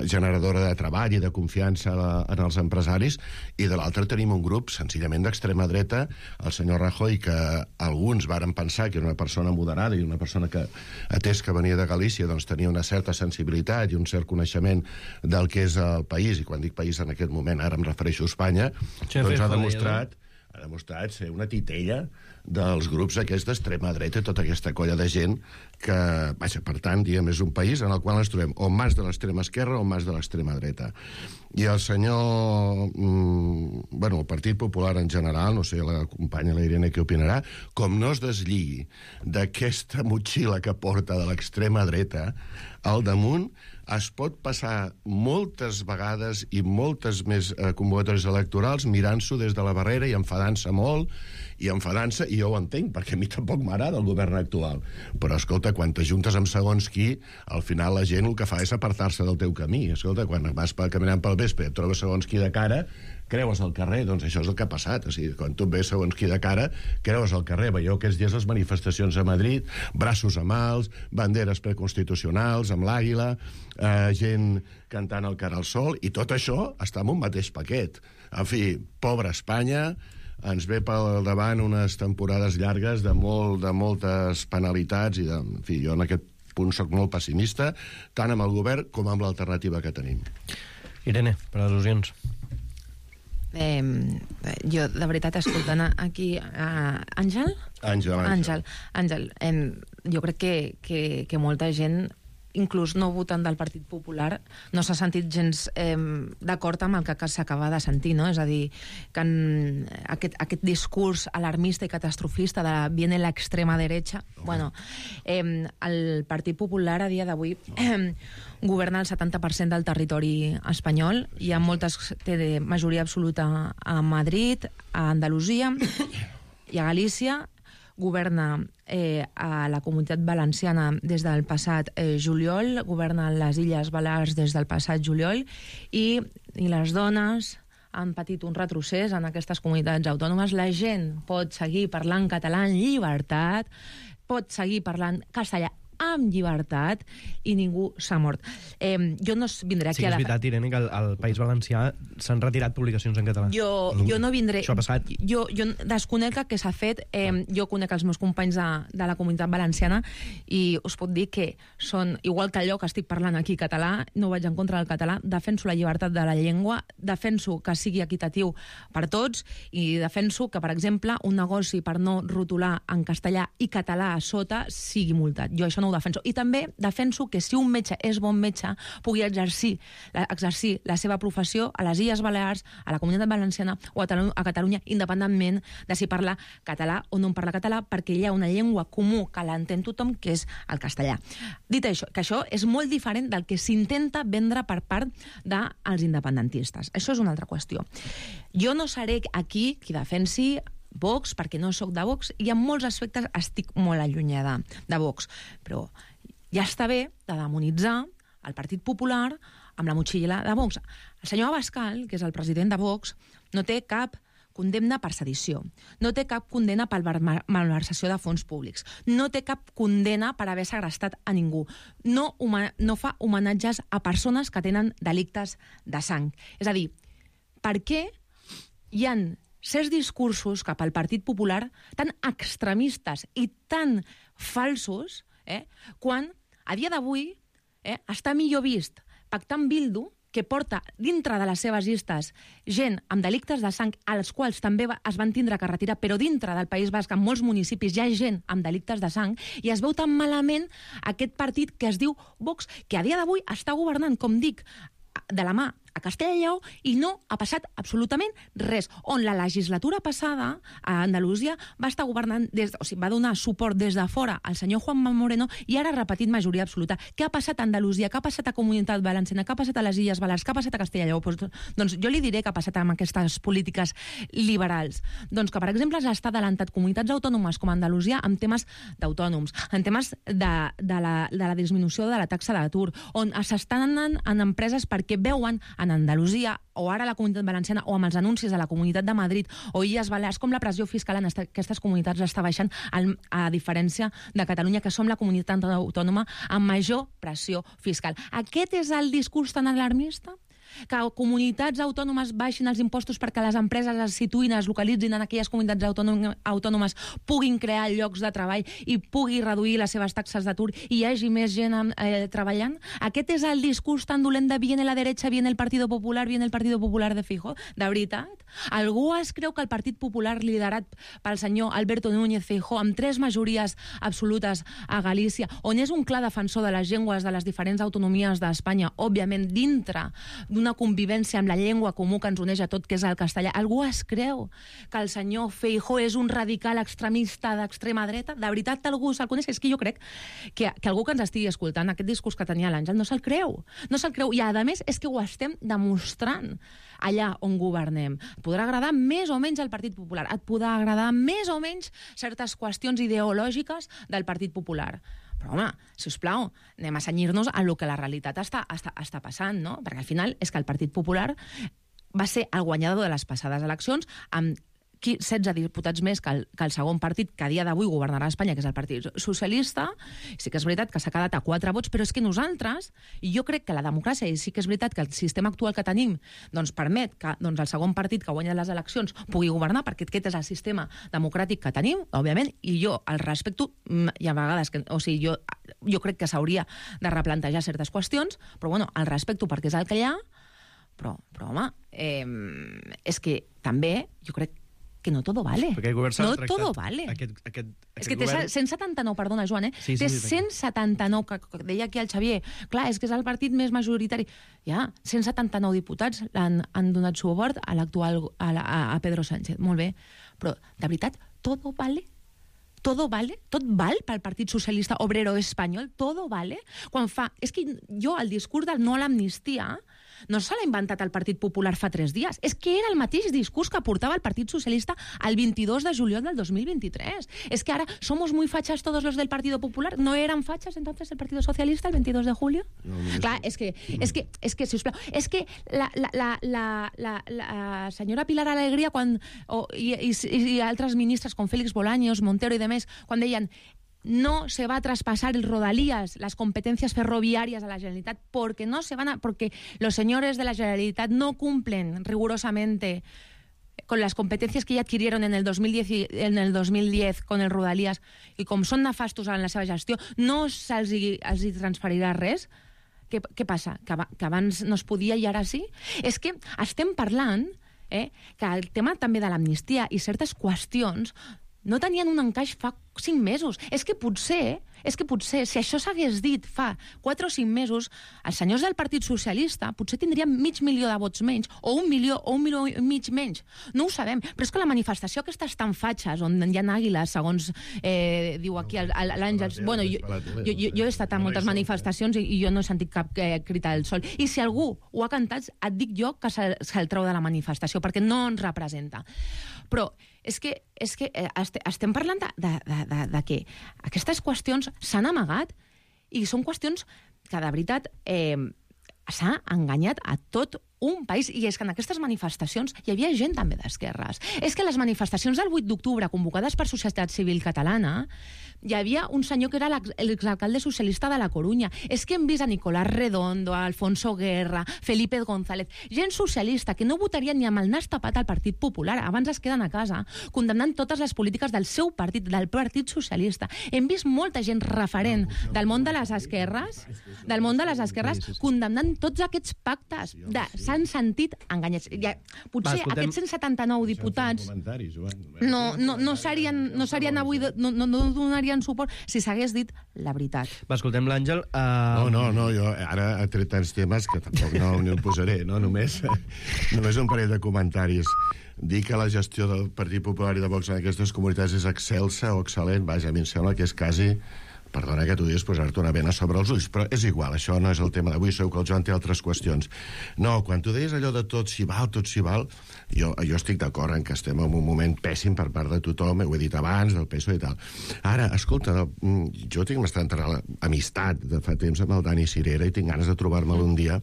generadora de treball i de confiança en els empresaris, i de l'altre tenim un grup senzillament d'extrema dreta, el senyor Rajoy, que alguns varen pensar que era una persona moderada i una persona que, atès que venia de Galícia, doncs tenia una certa sensibilitat i un cert coneixement del que és el país, i quan dic país en aquest moment, ara em refereixo a Espanya, doncs ha demostrat ser una titella dels grups aquests d'extrema dreta, tota aquesta colla de gent que, vaja, per tant, diguem, és un país en el qual ens trobem o mas de l'extrema esquerra o mas de l'extrema dreta. I el senyor... el Partit Popular en general, no sé, la companya la Irene què opinarà, com no es deslligui d'aquesta motxilla que porta de l'extrema dreta, al damunt es pot passar moltes vegades i moltes més convocatòries electorals mirant-s'ho des de la barrera i enfadant-se molt, i jo ho entenc, perquè a mi tampoc m'agrada el govern actual. Però, escolta, quan t'ajuntes amb segons qui, al final la gent el que fa és apartar-se del teu camí. Escolta, quan vas caminant pel vespre i et trobes segons qui de cara, creues al carrer, doncs això és el que ha passat. O sigui, quan tu et ves segons qui de cara, creues al carrer. Veieu aquests dies les manifestacions a Madrid, braços amb alts, banderes preconstitucionals, amb l'àguila, gent cantant el cara al sol, i tot això està en un mateix paquet. En fi, pobra Espanya, ens ve pel davant unes temporades llargues de moltes penalitats, i en fi, jo en aquest punt soc molt pessimista, tant amb el govern com amb l'alternativa que tenim. Irene, per al·lusions. Jo, de veritat, escoltant aquí Àngel, jo crec que molta gent, inclús no votant del Partit Popular, no s'ha sentit gens d'acord amb el que s'acaba de sentir, no? És a dir, que aquest discurs alarmista i catastrofista de viene la extrema derecha, bueno, el Partit Popular a dia d'avui governa el 70% del territori espanyol, hi ha té majoria absoluta a Madrid, a Andalusia i a Galícia, governa a la Comunitat Valenciana des del passat juliol, governa les Illes Balears des del passat juliol, i les dones han patit un retrocés en aquestes comunitats autònomes. La gent pot seguir parlant català en llibertat, pot seguir parlant castellà amb llibertat, i ningú s'ha mort. Jo no vindré aquí a... Sí que és veritat, Irene, que al País Valencià s'han retirat publicacions en català. Jo no vindré... Això ha passat. Jo desconec què s'ha fet. Jo conec els meus companys de la Comunitat Valenciana i us puc dir que són, igual que allò que estic parlant aquí català, no vaig en contra del català, defenso la llibertat de la llengua, defenso que sigui equitatiu per tots, i defenso que, per exemple, un negoci per no rotular en castellà i català a sota sigui multat. Jo això no ho defenso. I també defenso que si un metge és bon metge, pugui exercir la seva professió a les Illes Balears, a la Comunitat Valenciana o a Catalunya, independentment de si parla català o no en parla català, perquè hi ha una llengua comú que l'entén tothom, que és el castellà. Dit això, que això és molt diferent del que s'intenta vendre per part dels independentistes. Això és una altra qüestió. Jo no seré aquí qui defensi Vox, perquè no sóc de Vox, i en molts aspectes estic molt allunyada de Vox, però ja està bé de demonitzar el Partit Popular, amb la motxilla de Vox. El senyor Abascal, que és el president de Vox, no té cap condemna per sedició, no té cap condemna per malversació de fons públics, no té cap condemna per haver segrestat a ningú, no fa homenatges a persones que tenen delictes de sang. És a dir, per què hi ha certs discursos cap al Partit Popular tan extremistes i tan falsos, quan a dia d'avui està millor vist pactar amb Bildu, que porta dintre de les seves llistes gent amb delictes de sang, als quals també es van tindre que retirar, però dintre del País Basc, en molts municipis, hi ha gent amb delictes de sang, i es veu tan malament aquest partit que es diu Vox, que a dia d'avui està governant, com dic, de la mà a Castella i Lleó, i no ha passat absolutament res. On la legislatura passada, a Andalusia, va estar governant, va donar suport des de fora al senyor Juanma Moreno, i ara ha repetit majoria absoluta. Què ha passat a Andalusia? Què ha passat a Comunitat Valenciana? Què ha passat a les Illes Balears? Què ha passat a Castella i Lleó? Doncs jo li diré què ha passat amb aquestes polítiques liberals. Doncs que, per exemple, s'ha adelantat comunitats autònomes com Andalusia en temes d'autònoms, en temes de la disminució de la taxa d'atur, on s'estan anant en empreses perquè veuen en Andalusia, o ara la Comunitat Valenciana, o amb els anuncis de la Comunitat de Madrid o Illes Balears, com la pressió fiscal en aquestes comunitats està baixant, a diferència de Catalunya, que som la comunitat autònoma amb major pressió fiscal. Aquest és el discurs tan alarmista? Que comunitats autònomes baixin els impostos perquè les empreses es situïn, es localitzin en aquelles comunitats autònomes, puguin crear llocs de treball i pugui reduir les seves taxes d'atur i hi hagi més gent treballant? Aquest és el discurs tan dolent de viene la derecha, viene el Partido Popular, viene el Partido Popular de Feijóo? De veritat? Algú es creu que el Partit Popular, liderat pel senyor Alberto Núñez Feijóo, amb 3 majories absolutes a Galícia, on és un clar defensor de les llengües de les diferents autonomies d'Espanya, òbviament dintre d'una convivència amb la llengua comú que ens uneix a tot, que és el castellà. Algú es creu que el senyor Feijóo és un radical extremista d'extrema dreta? De veritat algú se'l coneix? És que jo crec que algú que ens estigui escoltant aquest discurs que tenia l'Àngel no se'l creu. No se'l creu. I a més és que ho estem demostrant allà on governem. Et podrà agradar més o menys el Partit Popular, et podrà agradar més o menys certes qüestions ideològiques del Partit Popular. Però, home, sisplau, anem a cenyir-nos a lo que la realitat està passant, no? Perquè al final és que el Partit Popular va ser el guanyador de les passades eleccions amb 16 diputats més que el segon partit que a dia d'avui governarà Espanya, que és el Partit Socialista. Sí que és veritat que s'ha quedat a 4 vots, però és que nosaltres, i jo crec que la democràcia, i sí que és veritat que el sistema actual que tenim doncs permet que el segon partit que guanya les eleccions pugui governar, perquè aquest és el sistema democràtic que tenim, òbviament, i jo el respecto, hi ha vegades que, jo crec que s'hauria de replantejar certes qüestions, però bueno, el respecto perquè és el que hi ha, però home, és que també jo crec que no todo vale. No todo vale. És que té 179, perdona, Joan, té 179, que deia aquí el Xavier. Clar, és que és el partit més majoritari. Ja, 179 diputats han donat suport a l'actual, a Pedro Sánchez. Molt bé. Però, de veritat, todo vale? Todo vale? Tot val pel Partit Socialista Obrero Espanyol? Todo vale? Quan fa... És que jo, el discurs del no a l'amnistia no se l'ha inventat el Partit Popular fa 3 dies. És que era el mateix discurs que portava el Partit Socialista el 22 de juliol del 2023. És que ara somos muy fachas todos los del Partido Popular. ¿No eran fachas entonces el Partido Socialista el 22 de julio? No, clar, és que, sisplau, és que la senyora Pilar Alegría i altres ministres com Félix Bolaños, Montero i demés, quan deien no se va a traspasar el Rodalías, las competencias ferroviarias a la Generalitat, porque los señores de la Generalitat no cumplen rigurosamente con las competencias que ya adquirieron en el 2010 con el Rodalías, i com són nefastos en la seva gestió, no se'ls transferirà res. Què passa? Que abans no es podia i ara sí? És que estem parlant que el tema també de l'amnistia i certes qüestions no tenien un encaix fa 5 mesos. És que potser, si això s'hagués dit fa 4 o 5 mesos, els senyors del Partit Socialista potser tindrien 500.000 de vots menys, o 1 milió, o 1 milió i mig menys. No ho sabem, però és que la manifestació aquestes tan fatxes, on hi ha àguiles, segons diu aquí l'Àngels... Bueno, jo he estat a moltes manifestacions i jo no he sentit cap crit al sol. I si algú ho ha cantat, et dic jo que se'l treu de la manifestació, perquè no ens representa. Però és que estem parlant de que aquestes qüestions s'han amagat i són qüestions que, de veritat, s'ha enganyat a tot un país, i és que en aquestes manifestacions hi havia gent també d'esquerres. És que les manifestacions del 8 d'octubre convocades per Societat Civil Catalana hi havia un senyor que era l'exalcalde socialista de la Corunya. És que hem vist a Nicolás Redondo, a Alfonso Guerra, Felipe González, gent socialista que no votarien ni amb el nas tapat al Partit Popular, abans es queden a casa, condemnant totes les polítiques del seu partit, del Partit Socialista. Hem vist molta gent referent del món de les esquerres, condemnant tots aquests pactes. S'han sentit enganyats. Potser aquests 179 diputats no serien avui, no donarien suport si s'hagués dit la veritat. Va, escoltem l'Àngel. No, jo ara he tret tants temes que tampoc no el posaré, no? Només un parell de comentaris. Dir que la gestió del Partit Popular i de Vox en aquestes comunitats és excelsa o excel·lent, vaja, a mi em sembla que és quasi... Perdona que t'ho diguis, posar-te una bena sobre els ulls, però és igual, això no és el tema d'avui, segur que el Joan té altres qüestions. No, quan tu deies allò de tot s'hi val, jo estic d'acord en que estem en un moment pèssim per part de tothom, ho he dit abans, del PSOE i tal. Ara, escolta, jo tinc bastanta amistat de fa temps amb el Dani Cirera i tinc ganes de trobar-me'l un dia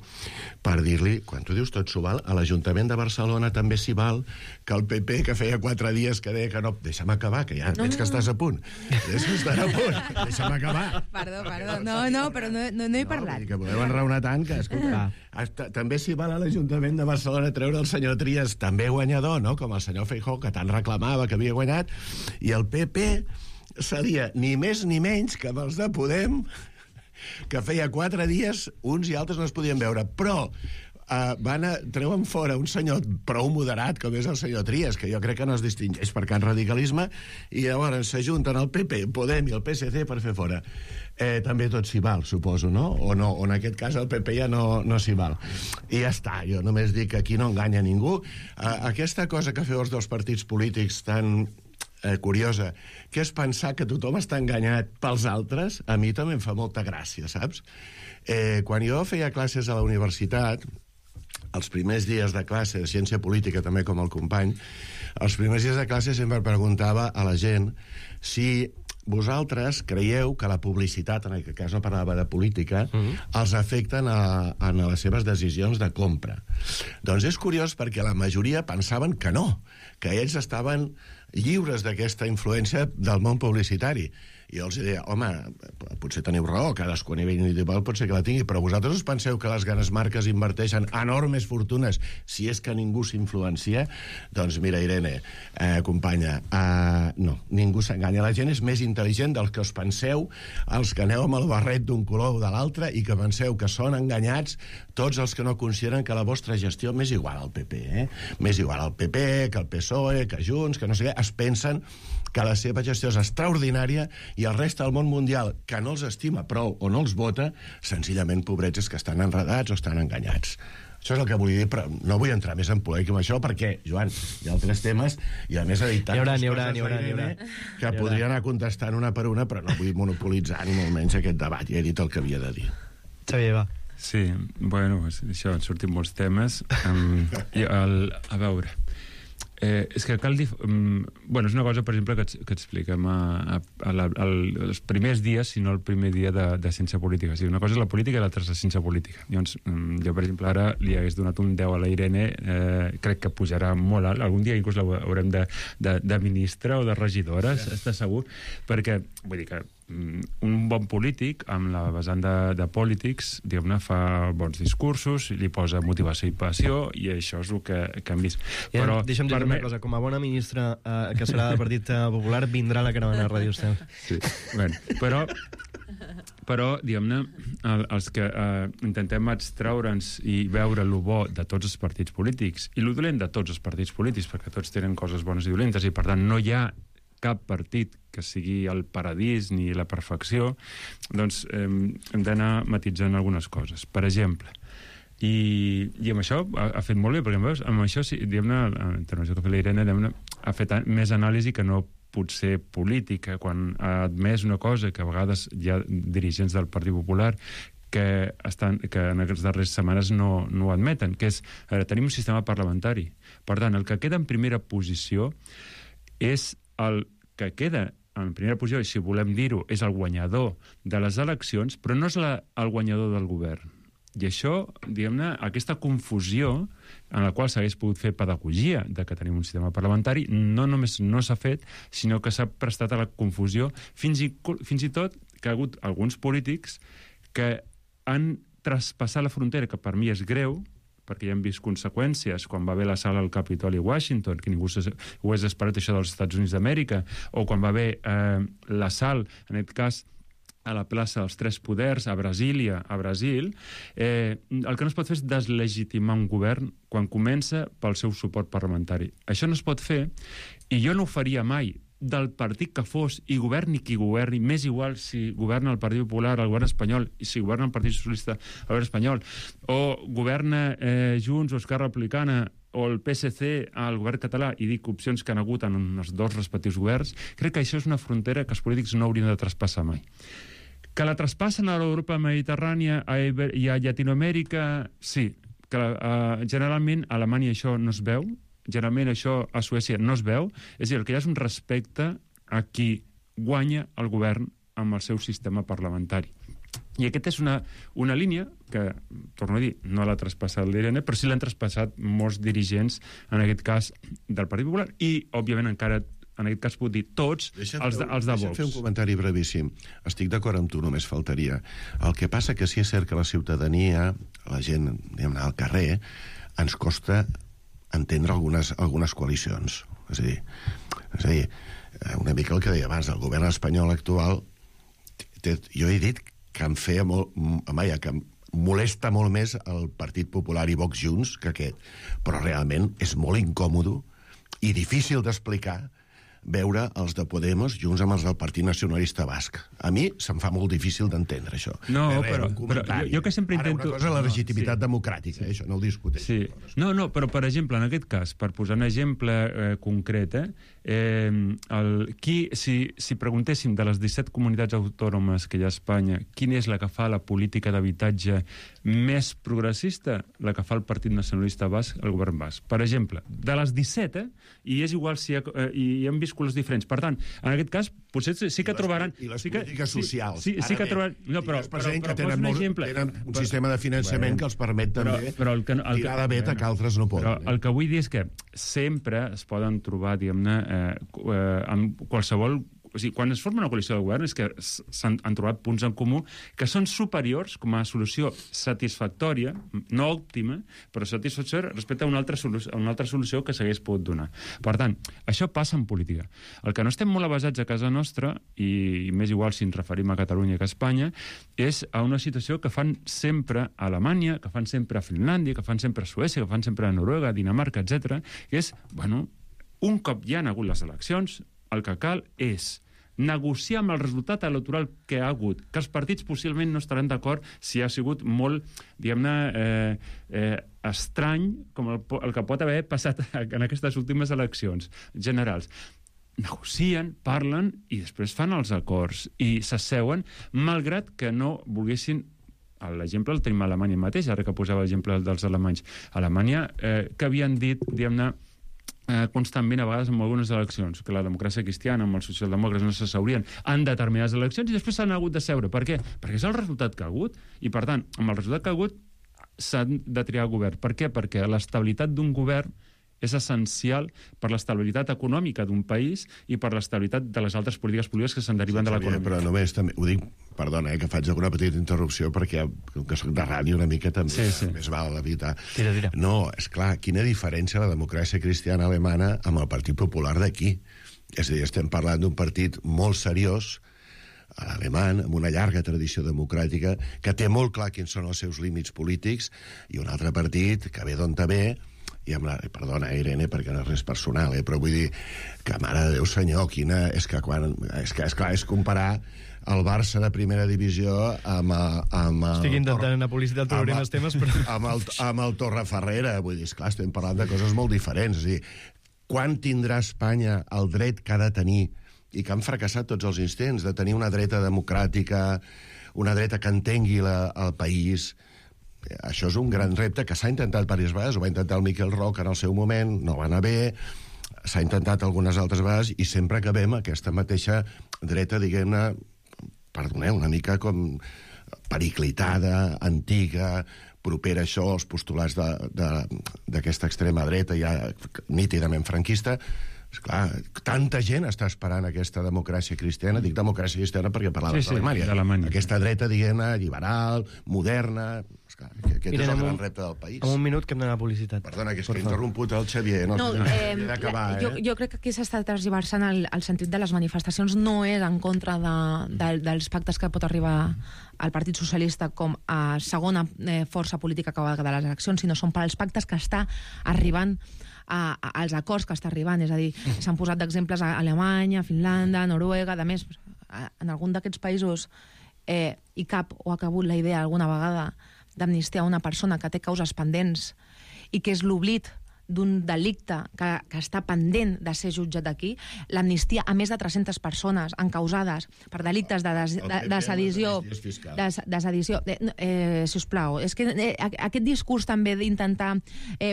per dir-li, quan tu dius tot s'ho val, a l'Ajuntament de Barcelona també s'hi val, que el PP, que feia 4 dies que deia que no... Deixa'm acabar, que ja veig que estàs a punt. Deixa'm estar a punt. Deixa'm acabar. Perdó. No, però no he parlat. Que podeu enraonar tant que, escolta, també s'hi val a l'Ajuntament de Barcelona treure el senyor Trias, també guanyador, no?, com el senyor Feijóo, que tant reclamava que havia guanyat, i el PP seria ni més ni menys que amb els de Podem, que feia 4 dies uns i altres no es podien veure, però treuen fora un senyor prou moderat com és el senyor Trias, que jo crec que no es distingeix per cap radicalisme, i llavors s'ajunten el PP, Podem i el PSC per fer fora. També tot s'hi val, suposo, no? O en aquest cas el PP ja no s'hi val. I ja està, jo només dic que aquí no enganya ningú. Aquesta cosa que feu els dos partits polítics tan curiosa, que és pensar que tothom està enganyat pels altres, a mi també em fa molta gràcia, saps? Quan jo feia classes a la universitat, els primers dies de classe de ciència política, també com el company, els primers dies de classe sempre preguntava a la gent si vosaltres creieu que la publicitat, en aquest cas no parlava de política, els afecten a les seves decisions de compra. Doncs és curiós perquè la majoria pensaven que no, que ells estaven lliures d'aquesta influència del món publicitari. I jo els deia, home, potser teniu raó, cadascú a nivell individual pot ser que la tingui, però vosaltres us penseu que les grans marques inverteixen enormes fortunes si és que ningú s'influencia? Doncs mira, Irene, companya, no, ningú s'enganya. La gent és més intel·ligent dels que us penseu, els que aneu amb el barret d'un color o de l'altre i que penseu que són enganyats tots els que no consideren que la vostra gestió, m'és igual al PP, m'és igual al PP, que al PSOE, que Junts, que no sé què, es pensen que la seva gestió és extraordinària i el reste del món mundial, que no els estima prou o no els vota, senzillament pobrets és que estan enredats o estan enganyats. Això és el que vull dir, però no vull entrar més en polèmica amb això perquè, Joan, hi ha altres temes i a més ha dit tantes coses que podria anar contestant una per una, però no vull monopolitzar ni molt menys aquest debat. Ja he dit el que havia de dir. Xavier, va. Sí, bueno, això, han sortit molts temes. A veure... és que cal dir... Bueno, és una cosa, per exemple, que expliquem els primers dies, si no el primer dia de ciència política. O sigui, una cosa és la política i l'altra és la ciència política. Llavors, jo, per exemple, ara li hagués donat un 10 a la Irene, crec que pujarà molt alt. Algun dia inclús l'haurem de ministra o de regidora, està segur, perquè, vull dir que un bon polític, amb la vessant de polítics, diguem-ne, fa bons discursos, li posa motivació i passió, i això és el que hem vist. Però, deixa'm dir una cosa, com a bona ministra que serà del Partit Popular, vindrà la caravana a Ràdio Estel. Sí. Bueno, però diguem-ne, els que intentem extraure'ns i veure el bo de tots els partits polítics i el dolent de tots els partits polítics, perquè tots tenen coses bones i dolentes, i per tant no hi ha cap partit que sigui el paradís ni la perfecció, doncs hem d'anar matitzant algunes coses. Per exemple, i amb això ha fet molt bé, perquè amb això, diguem-ne, la intervenció que ha fet la Irene, ha fet més anàlisi que no potser política, quan ha admès una cosa que a vegades hi ha dirigents del Partit Popular que en aquestes darreres setmanes no ho admeten, que és, tenim un sistema parlamentari. Per tant, el que queda en primera posició és el que queda en primera posició, i si volem dir-ho, és el guanyador de les eleccions, però no és el guanyador del govern. I això, diguem-ne, aquesta confusió en la qual s'hagués pogut fer pedagogia de que tenim un sistema parlamentari, no només no s'ha fet, sinó que s'ha prestat a la confusió, fins i tot que ha hagut alguns polítics que han traspassat la frontera, que per mi és greu, perquè ja hem vist conseqüències quan va haver la sala al Capitoli a Washington, que ningú ho hagués esperat això dels Estats Units d'Amèrica, o quan va haver la sal, en aquest cas, a la plaça dels Tres Poders, a Brasília, a Brasil, el que no es pot fer és deslegitimar un govern quan comença pel seu suport parlamentari. Això no es pot fer, i jo no ho faria mai, del partit que fos, i governi qui governi, m'és igual si governa el Partit Popular, el govern espanyol, i si governa el Partit Socialista, el govern espanyol, o governa Junts o Esquerra Republicana, o el PSC al govern català, i dic opcions que han hagut en els dos respectius governs, crec que això és una frontera que els polítics no haurien de traspassar mai. Que la traspassen a l'Europa mediterrània i a Llatinoamèrica, sí, que generalment a Alemanya això no es veu, generalment això a Suècia no es veu, és a dir, el que hi ha és un respecte a qui guanya el govern amb el seu sistema parlamentari. I aquesta és una línia que, torno a dir, no l'ha traspassat l'Irene, però sí l'han traspassat molts dirigents, en aquest cas, del Partit Popular, i, òbviament, encara en aquest cas puc dir tots els de Vox. Deixa'm fer un comentari brevíssim. Estic d'acord amb tu, només faltaria. El que passa que sí és cert que la ciutadania, la gent, diguem-ne, al carrer, ens costa entendre algunes coalicions. És a dir, una mica el que deia abans, el govern espanyol actual, jo he dit que em feia molt, que em molesta molt més el Partit Popular i Vox junts que aquest, però realment és molt incòmodo i difícil d'explicar veure els de Podemos junts amb els del Partit Nacionalista Basc. A mi se'm fa molt difícil d'entendre això. No, però jo que sempre intento... Ara, una cosa és la legitimitat democràtica, això no ho discuteixo. Sí. No, però, per exemple, en aquest cas, per posar un exemple concret, si preguntéssim de les 17 comunitats autònomes que hi ha a Espanya, quina és la que fa la política d'habitatge més progressista? La que fa el Partit Nacionalista Basc, el govern basc. Per exemple, de les 17, i és igual si hi hem vist colors diferents. Per tant, en aquest cas, potser sí que trobaran... I les polítiques socials. Sí que trobaran... No, però tenen un sistema de finançament que els permet també tirar de vet que altres no poden. Però el que vull dir és que sempre es poden trobar, diguem-ne, amb qualsevol... O sigui, quan es forma una coalició de govern és que s'han trobat punts en comú que són superiors com a solució satisfactòria, no òptima, però satisfactòria respecte a una altra solució que s'hagués pogut donar. Per tant, això passa en política. El que no estem molt avasats a casa nostra, i més igual si ens referim a Catalunya que a Espanya, és a una situació que fan sempre a Alemanya, que fan sempre a Finlàndia, que fan sempre a Suècia, que fan sempre a Noruega, Dinamarca, etc. que és, un cop ja han hagut les eleccions, el que cal és negociar amb el resultat electoral que ha hagut, que els partits possiblement no estaran d'acord si ha sigut molt, diguem-ne, estrany com el que pot haver passat en aquestes últimes eleccions generals. Negocien, parlen i després fan els acords i s'asseuen, malgrat que no volguessin. L'exemple el tenim a Alemanya mateix, ara que posava l'exemple dels alemanys. A Alemanya, que havien dit, diguem-ne, constantment a vegades en algunes eleccions, que la democràcia cristiana amb els socialdemòcrates no s'asseurien en determinades eleccions i després s'han hagut de seure. Per què? Perquè és el resultat que ha hagut i, per tant, amb el resultat que ha hagut s'han de triar govern. Per què? Perquè l'estabilitat d'un govern és essencial per l'estabilitat econòmica d'un país i per l'estabilitat de les altres polítiques públiques que se'n deriven de l'economia. Però només també, ho dic, perdona, que faig alguna petita interrupció perquè, com que soc de ràdio una mica també, més val evitar. Tira. No, és clar, quina diferència la democràcia cristiana alemana amb el Partit Popular d'aquí. És a dir, estem parlant d'un partit molt seriós, alemany, amb una llarga tradició democràtica, que té molt clar quins són els seus límits polítics, i un altre partit que ve d'on ve, i amb la... Perdona, Irene, perquè no és res personal, però vull dir que, mare de Déu senyor, quina... És que és comparar el Barça de primera divisió amb estic intentant anar a publicitat trobarem els temes, però... amb el Torreferrera, vull dir, esclar, estem parlant de coses molt diferents. És a dir, quan tindrà Espanya el dret que ha de tenir, i que han fracassat tots els instants, de tenir una dreta democràtica, una dreta que entengui el país... Això és un gran repte que s'ha intentat diverses vegades, ho va intentar el Miquel Roca en el seu moment, no va anar bé, s'ha intentat algunes altres vegades i sempre acabem aquesta mateixa dreta, diguem-ne, perdoneu, una mica com periclitada, antiga, propera a això, als postulats d'aquesta extrema dreta ja nítidament franquista. Esclar, tanta gent està esperant aquesta democràcia cristiana. Dic democràcia cristiana perquè parlaves d'Alemanya. Aquesta dreta, diguem-ne, liberal, moderna. Esclar, aquest és el gran repte del país. En un minut que hem d'anar a publicitat. Perdona, que és que he interromput el Xavier. He d'acabar, Jo crec que aquí s'està transversant el sentit de les manifestacions. No és en contra dels pactes que pot arribar al Partit Socialista com a segona força política que va quedar a les eleccions, sinó són per als pactes que està arribant als acords que està arribant, és a dir, s'han posat d'exemples a Alemanya, Finlàndia, Noruega, a més, en algun d'aquests països hi cap o ha cabut la idea alguna vegada d'amnistiar una persona que té causes pendents i que és l'oblit d'un delicte que està pendent de ser jutjat aquí, l'amnistia a més de 300 persones encausades per delictes de sedició, sisplau, és que aquest discurs també d'intentar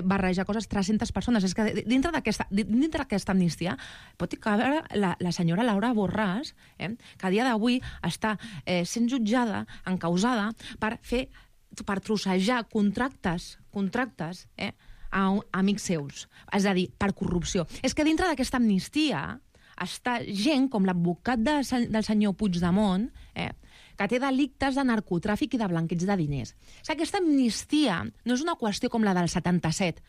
barrejar coses, 300 persones, és que dintre d'aquesta amnistia pot caber la senyora Laura Borràs, que a dia d'avui està sent jutjada, encausada, per trossejar contractes, a amics seus, és a dir, per corrupció. És que dintre d'aquesta amnistia està gent com l'advocat del senyor Puigdemont, que té delictes de narcotràfic i de blanqueig de diners. O sigui, aquesta amnistia no és una qüestió com la del 77,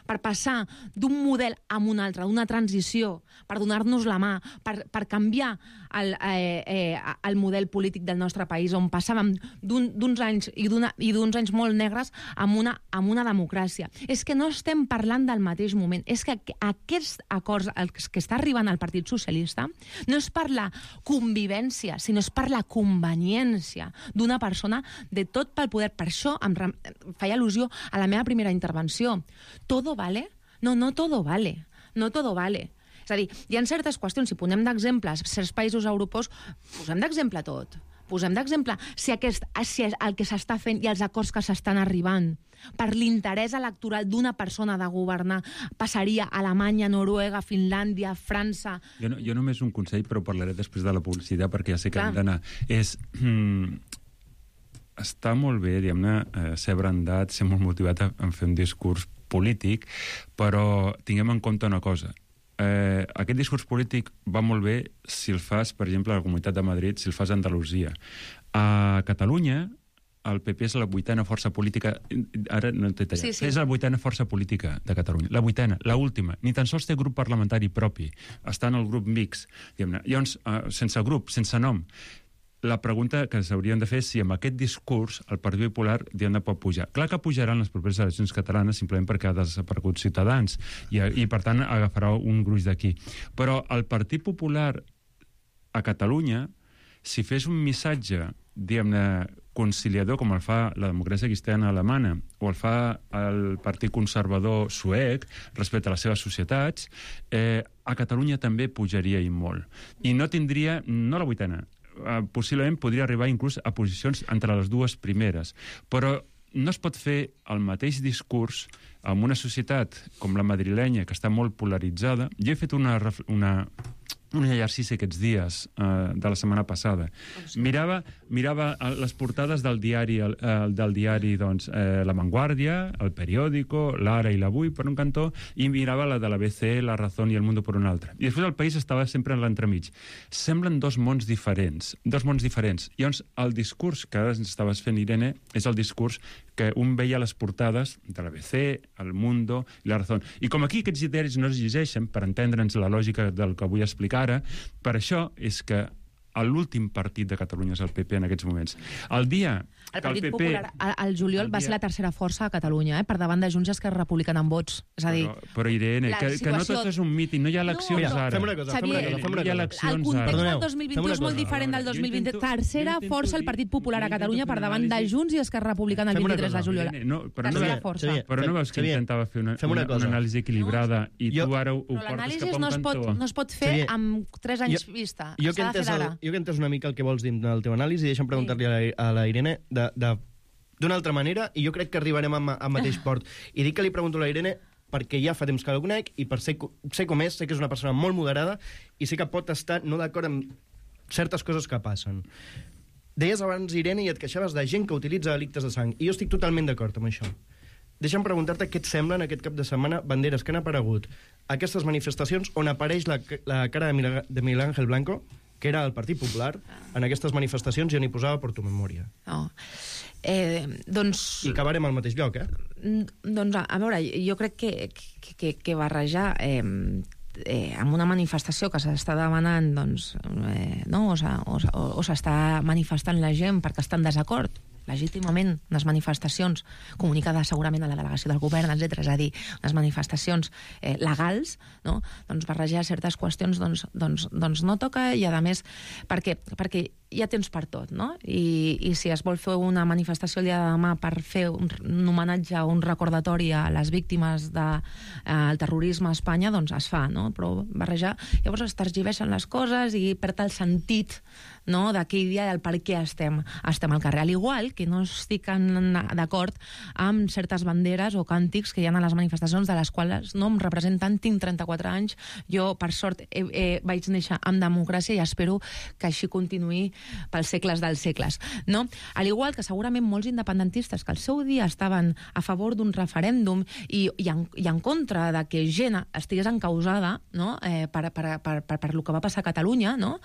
per passar d'un model a un altre, d'una transició, per donar-nos la mà, per canviar el model polític del nostre país, on passàvem d'uns anys i d'uns anys molt negres amb una democràcia. És que no estem parlant del mateix moment. És que aquests acords que està arribant al Partit Socialista no és per la convivència, sinó és per la conveniència d'una persona de tot pel poder. Per això em feia al·lusió a la meva primera intervenció. ¿Todo vale? No, no todo vale. No todo vale. És a dir, hi ha certes qüestions, si posem d'exemples certs països europeus, posem d'exemple tot. Posem d'exemple si el que s'està fent i els acords que s'estan arribant per l'interès electoral d'una persona de governar passaria a Alemanya, Noruega, Finlàndia, França... Jo només un consell, però parlaré després de la publicitat, perquè ja sé que hem d'anar. Està molt bé, diguem-ne, ser brandat, ser molt motivat a fer un discurs polític, però tinguem en compte una cosa. Aquest discurs polític va molt bé si el fas, per exemple, a la Comunitat de Madrid, si el fas a Andalusia. A Catalunya, el PP és la 8a força política... Ara no t'he tallat. Sí. És la 8a força política de Catalunya. La 8a, la última. Ni tan sols té grup parlamentari propi. Està en el grup mix. Llavors, sense grup, sense nom. La pregunta que s'haurien de fer és si amb aquest discurs el Partit Popular pot pujar. Clar que pujaran les properes eleccions catalanes simplement perquè ha desaparegut Ciutadans i per tant agafarà un gruix d'aquí. Però el Partit Popular a Catalunya, si fes un missatge, diguem-ne, conciliador, com el fa la democràcia cristiana alemana o el fa el Partit Conservador suec respecte a les seves societats, a Catalunya també pujaria i molt. I no tindria, no la 8a, possiblement podria arribar inclús a posicions entre les dues primeres. Però no es pot fer el mateix discurs en una societat com la madrilenya, que està molt polaritzada. Jo he fet un exercici aquests dies de la setmana passada. Mirava les portades del diari doncs, La Vanguardia, El Periódico, L'Ara i l'Avui per un cantó, i mirava la de l'ABC, La Razón i El Mundo per un altre. I després el país estava sempre en l'entremig. Semblen dos mons diferents. Llavors, el discurs que ara estaves fent, Irene, és el discurs que un veia a les portades de l'ABC, El Mundo i La Razón. I com aquí aquests diaris no es llegeixen, per entendre'ns la lògica del que vull explicar ara, per això és que l'últim partit de Catalunya és el PP en aquests moments. El dia el Partit Popular, el juliol, va ser la tercera força a Catalunya, per davant de Junts i Esquerra Republicana en vots. És a dir... Però Irene, que no tot és un míting, no hi ha eleccions ara. Fem una cosa. El context del 2021 és molt diferent del 2020. Tercera força el Partit Popular a Catalunya per davant de Junts i Esquerra Republicana el 23 de juliol. Però no veus que intentava fer una anàlisi equilibrada i tu ara ho portes cap a un cantó? No es pot fer amb 3 anys vista. S'ha de fer d'ara. Jo que he entès una mica el que vols dir del teu anàlisi, deixa'm preguntar-li a la Irene d'una altra manera, i jo crec que arribarem al mateix port. I dic que li pregunto a la Irene perquè ja fa temps que la conec i per sé com és, sé que és una persona molt moderada i sé que pot estar no d'acord amb certes coses que passen. Deies abans, Irene, i et queixaves de gent que utilitza delictes de sang, i jo estic totalment d'acord amb això. Deixa'm preguntar-te què et semblen aquest cap de setmana banderes que han aparegut a aquestes manifestacions on apareix la cara de Miguel Ángel Blanco, que era el Partit Popular, en aquestes manifestacions, i on hi posava por tu memòria. No. I acabarem al mateix lloc, Doncs, a veure, jo crec que barrejar amb una manifestació que s'està demanant, doncs, no, o s'està manifestant la gent perquè està en desacord, legítimament, unes manifestacions comunicades segurament a la delegació del govern, etc. És a dir, unes manifestacions legals, no? Doncs barrejar certes qüestions doncs no toca, i a més perquè hi ha temps per tot, no? I si es vol fer una manifestació el dia de demà per fer un homenatge o un recordatori a les víctimes del terrorisme a Espanya, doncs es fa, no? Però barrejar, llavors es tergiversen les coses i perd el sentit, no?, d'aquell dia del per què estem al carrer. Al igual que no estic d'acord amb certes banderes o càntics que hi ha a les manifestacions, de les quals no em representen. Tinc 34 anys, jo, per sort, vaig néixer amb democràcia i espero que així continuï pels segles dels segles, no? Al igual que segurament molts independentistes que al seu dia estaven a favor d'un referèndum i en contra de que gent estigués encausada, no?, per el que va passar a Catalunya, no?,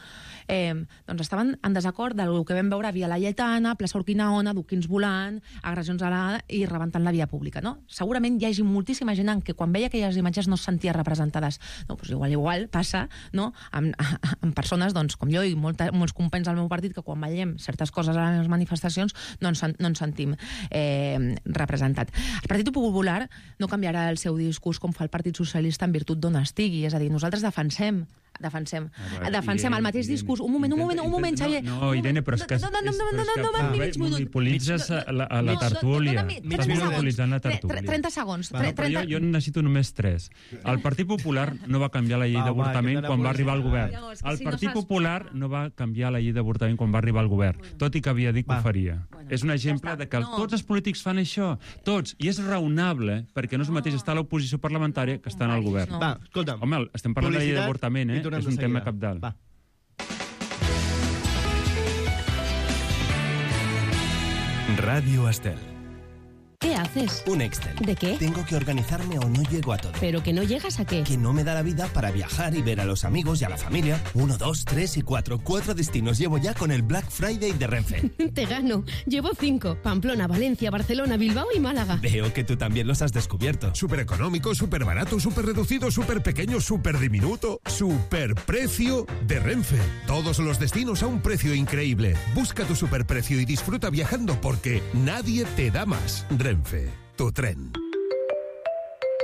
doncs estaven en desacord del que vam veure a Via Laietana, Plaça Urquinaona, duquins volant, agressions i rebentant la via pública, no? Segurament hi hagi moltíssima gent que quan veia aquelles imatges no es sentia representades. No, doncs igual passa, no?, amb persones, doncs, com jo i molts companys del meu partit, que quan veiem certes coses a les manifestacions no ens sentim representat. El Partit Popular no canviarà el seu discurs com fa el Partit Socialista en virtut d'on estigui, és a dir, nosaltres defensem el mateix discurs. Un moment, Xavier. No, Irene, però és que monopolitzes la tertúlia. Estàs monopolitzant la tertúlia. 30 segons. Però jo necessito només 3. El Partit Popular no va canviar la llei d'avortament quan va arribar al govern. El Partit Popular no va canviar la llei d'avortament quan va arribar al govern, tot i que havia dit que ho faria. És un exemple de que tots els polítics fan això, tots, i és raonable, perquè no és el mateix estar a l'oposició parlamentària que estar en el govern. Va, escolta'm. Home, estem parlant de la llei d'avortament, és un tema cabdal. Va. Radio Estel. ¿Qué haces? Un Excel. ¿De qué? Tengo que organizarme o no llego a todo. ¿Pero que no llegas a qué? Que no me da la vida para viajar y ver a los amigos y a la familia. 1, 2, 3 y 4. 4 destinos llevo ya con el Black Friday de Renfe. Te gano. Llevo 5. Pamplona, Valencia, Barcelona, Bilbao y Málaga. Veo que tú también los has descubierto. Súper económico, súper barato, súper reducido, súper pequeño, súper diminuto. Súper precio de Renfe. Todos los destinos a un precio increíble. Busca tu superprecio y disfruta viajando porque nadie te da más. Renfe, tu tren.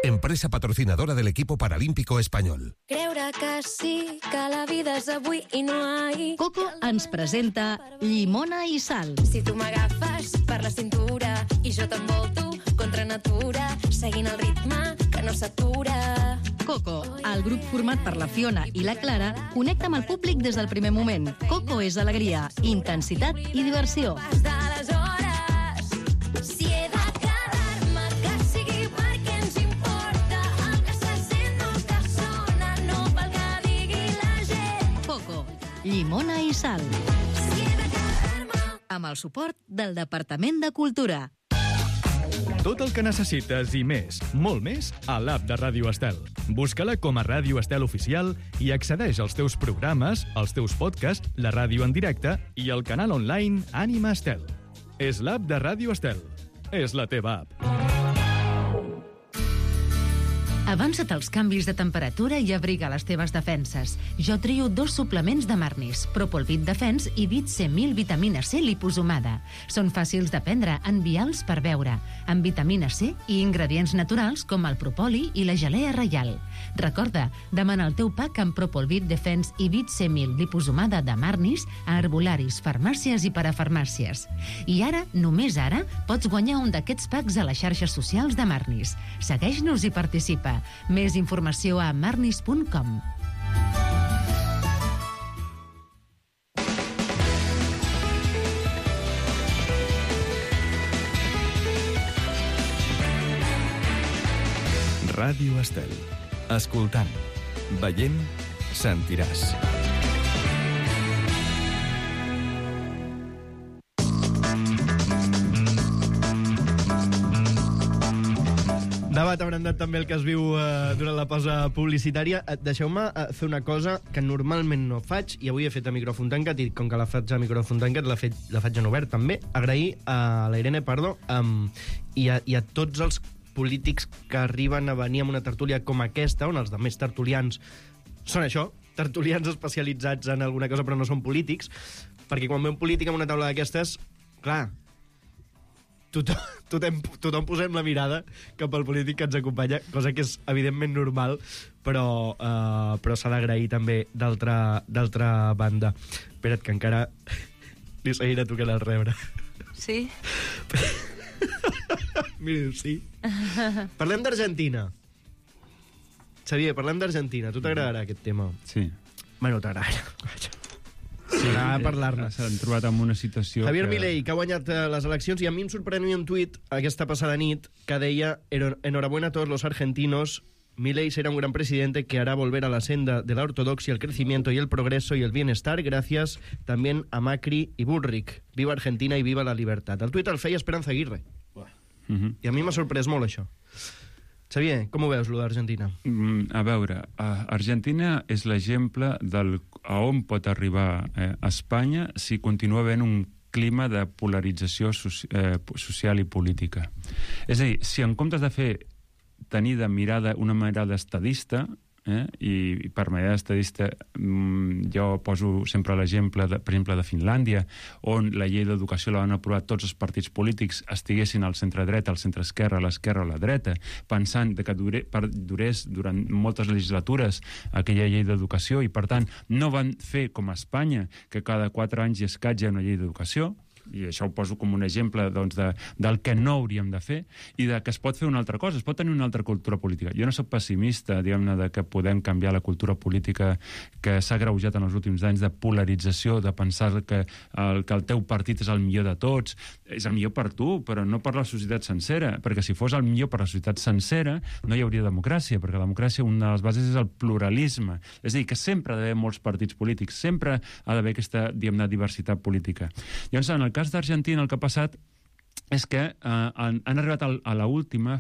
Empresa patrocinadora del equipo paralímpico español. Creure que sí, que la vida és avui i no ahir. Coco ens presenta Llimona i Sal. Si tu m'agafes per la cintura i jo t'envolto contra natura, seguint el ritme que no s'atura. Coco, el grup format per la Fiona i la Clara, connecta amb el públic des del primer moment. Coco és alegria, intensitat i diversió. Pas de les hores, si he de quedar-me, que sigui perquè ens importa el que se sent, no el que sona, no pel que digui la gent. Coco, Llimona i Sal. Si he de quedar-me... Amb el suport del Departament de Cultura. Tot el que necessites i més, molt més, a l'app de Ràdio Estel. Busca-la com a Ràdio Estel Oficial i accedeix als teus programes, als teus podcasts, la ràdio en directe i el canal online Ànima Estel. És l'app de Ràdio Estel. És la teva app. Avança't als canvis de temperatura i abriga les teves defenses. Jo trio 2 suplements de Marnis, Propolvit Defens i Vit C1000 vitamina C liposomada. Són fàcils de prendre, envials per beure, amb vitamina C i ingredients naturals com el propoli i la gelea reial. Recorda, demana el teu pack amb Propolvit Defens i Vit C1000 liposomada de Marnis a herbolaris, farmàcies i parafarmàcies. I ara, només ara, pots guanyar un d'aquests packs a les xarxes socials de Marnis. Segueix-nos i participa. Més informació a marnis.com. Ràdio Estel. Escoltant, veient, sentiràs. acabat abrandat també el que es viu durant la pausa publicitària. Deixeu-me fer una cosa que normalment no faig, i avui he fet a micròfon tancat, i com que la faig a micròfon tancat, la faig en obert també. Agrair a la Irene Pardo i a tots els polítics que arriben a venir amb una tertúlia com aquesta, on els altres tertulians són això, tertulians especialitzats en alguna cosa però no són polítics, perquè quan ve un polític en una taula d'aquestes, clar, tothom posem la mirada cap al polític que ens acompanya, cosa que és evidentment normal, però s'ha d'agrair també d'altra banda. Espera't, que encara li seguiré tocant el rebre. Sí? Mira, sí. Parlem d'Argentina. Xavier, parlem d'Argentina. Tu t'agradarà aquest tema? Sí. Bueno, t'agradarà. Sí, a parlar-ne. S'han trobat en una situació... Javier Milei, que ha guanyat les eleccions, i a mi em sorprenia un tuit aquesta passada nit que deia: enhorabuena a todos los argentinos, Milei será un gran presidente que hará volver a la senda de la ortodoxia, el crecimiento y el progreso y el bienestar, gracias también a Macri y Bullrich. Viva Argentina y viva la libertad. El tuit el feia Esperanza Aguirre. I a mi m'ha sorprès molt això. Xavier, com ho veus, lo d'Argentina? A veure, Argentina és l'exemple a on pot arribar Espanya si continua havent un clima de polarització social i política. És a dir, si en comptes de tenir una mirada estadista, i per manera estadista jo poso sempre l'exemple, per exemple, de Finlàndia, on la llei d'educació la van aprovar tots els partits polítics, estiguessin al centre-dreta, al centre-esquerra, a l'esquerra o a la dreta, pensant que durés durant moltes legislatures aquella llei d'educació, i per tant no van fer com a Espanya, que cada 4 anys i escaig hi ha una llei d'educació, i això ho poso com un exemple del que no hauríem de fer, i de que es pot fer una altra cosa, es pot tenir una altra cultura política. Jo no soc pessimista, diguem-ne, de que podem canviar la cultura política que s'ha agreujat en els últims anys de polarització, de pensar que el teu partit és el millor de tots. És el millor per tu, però no per la societat sencera, perquè si fos el millor per la societat sencera no hi hauria democràcia, perquè la democràcia, una de les bases és el pluralisme. És a dir, que sempre ha d'haver molts partits polítics, sempre ha d'haver aquesta, diguem-ne, diversitat política. Llavors, en el cas d'Argentina, el que ha passat és que han arribat a l'última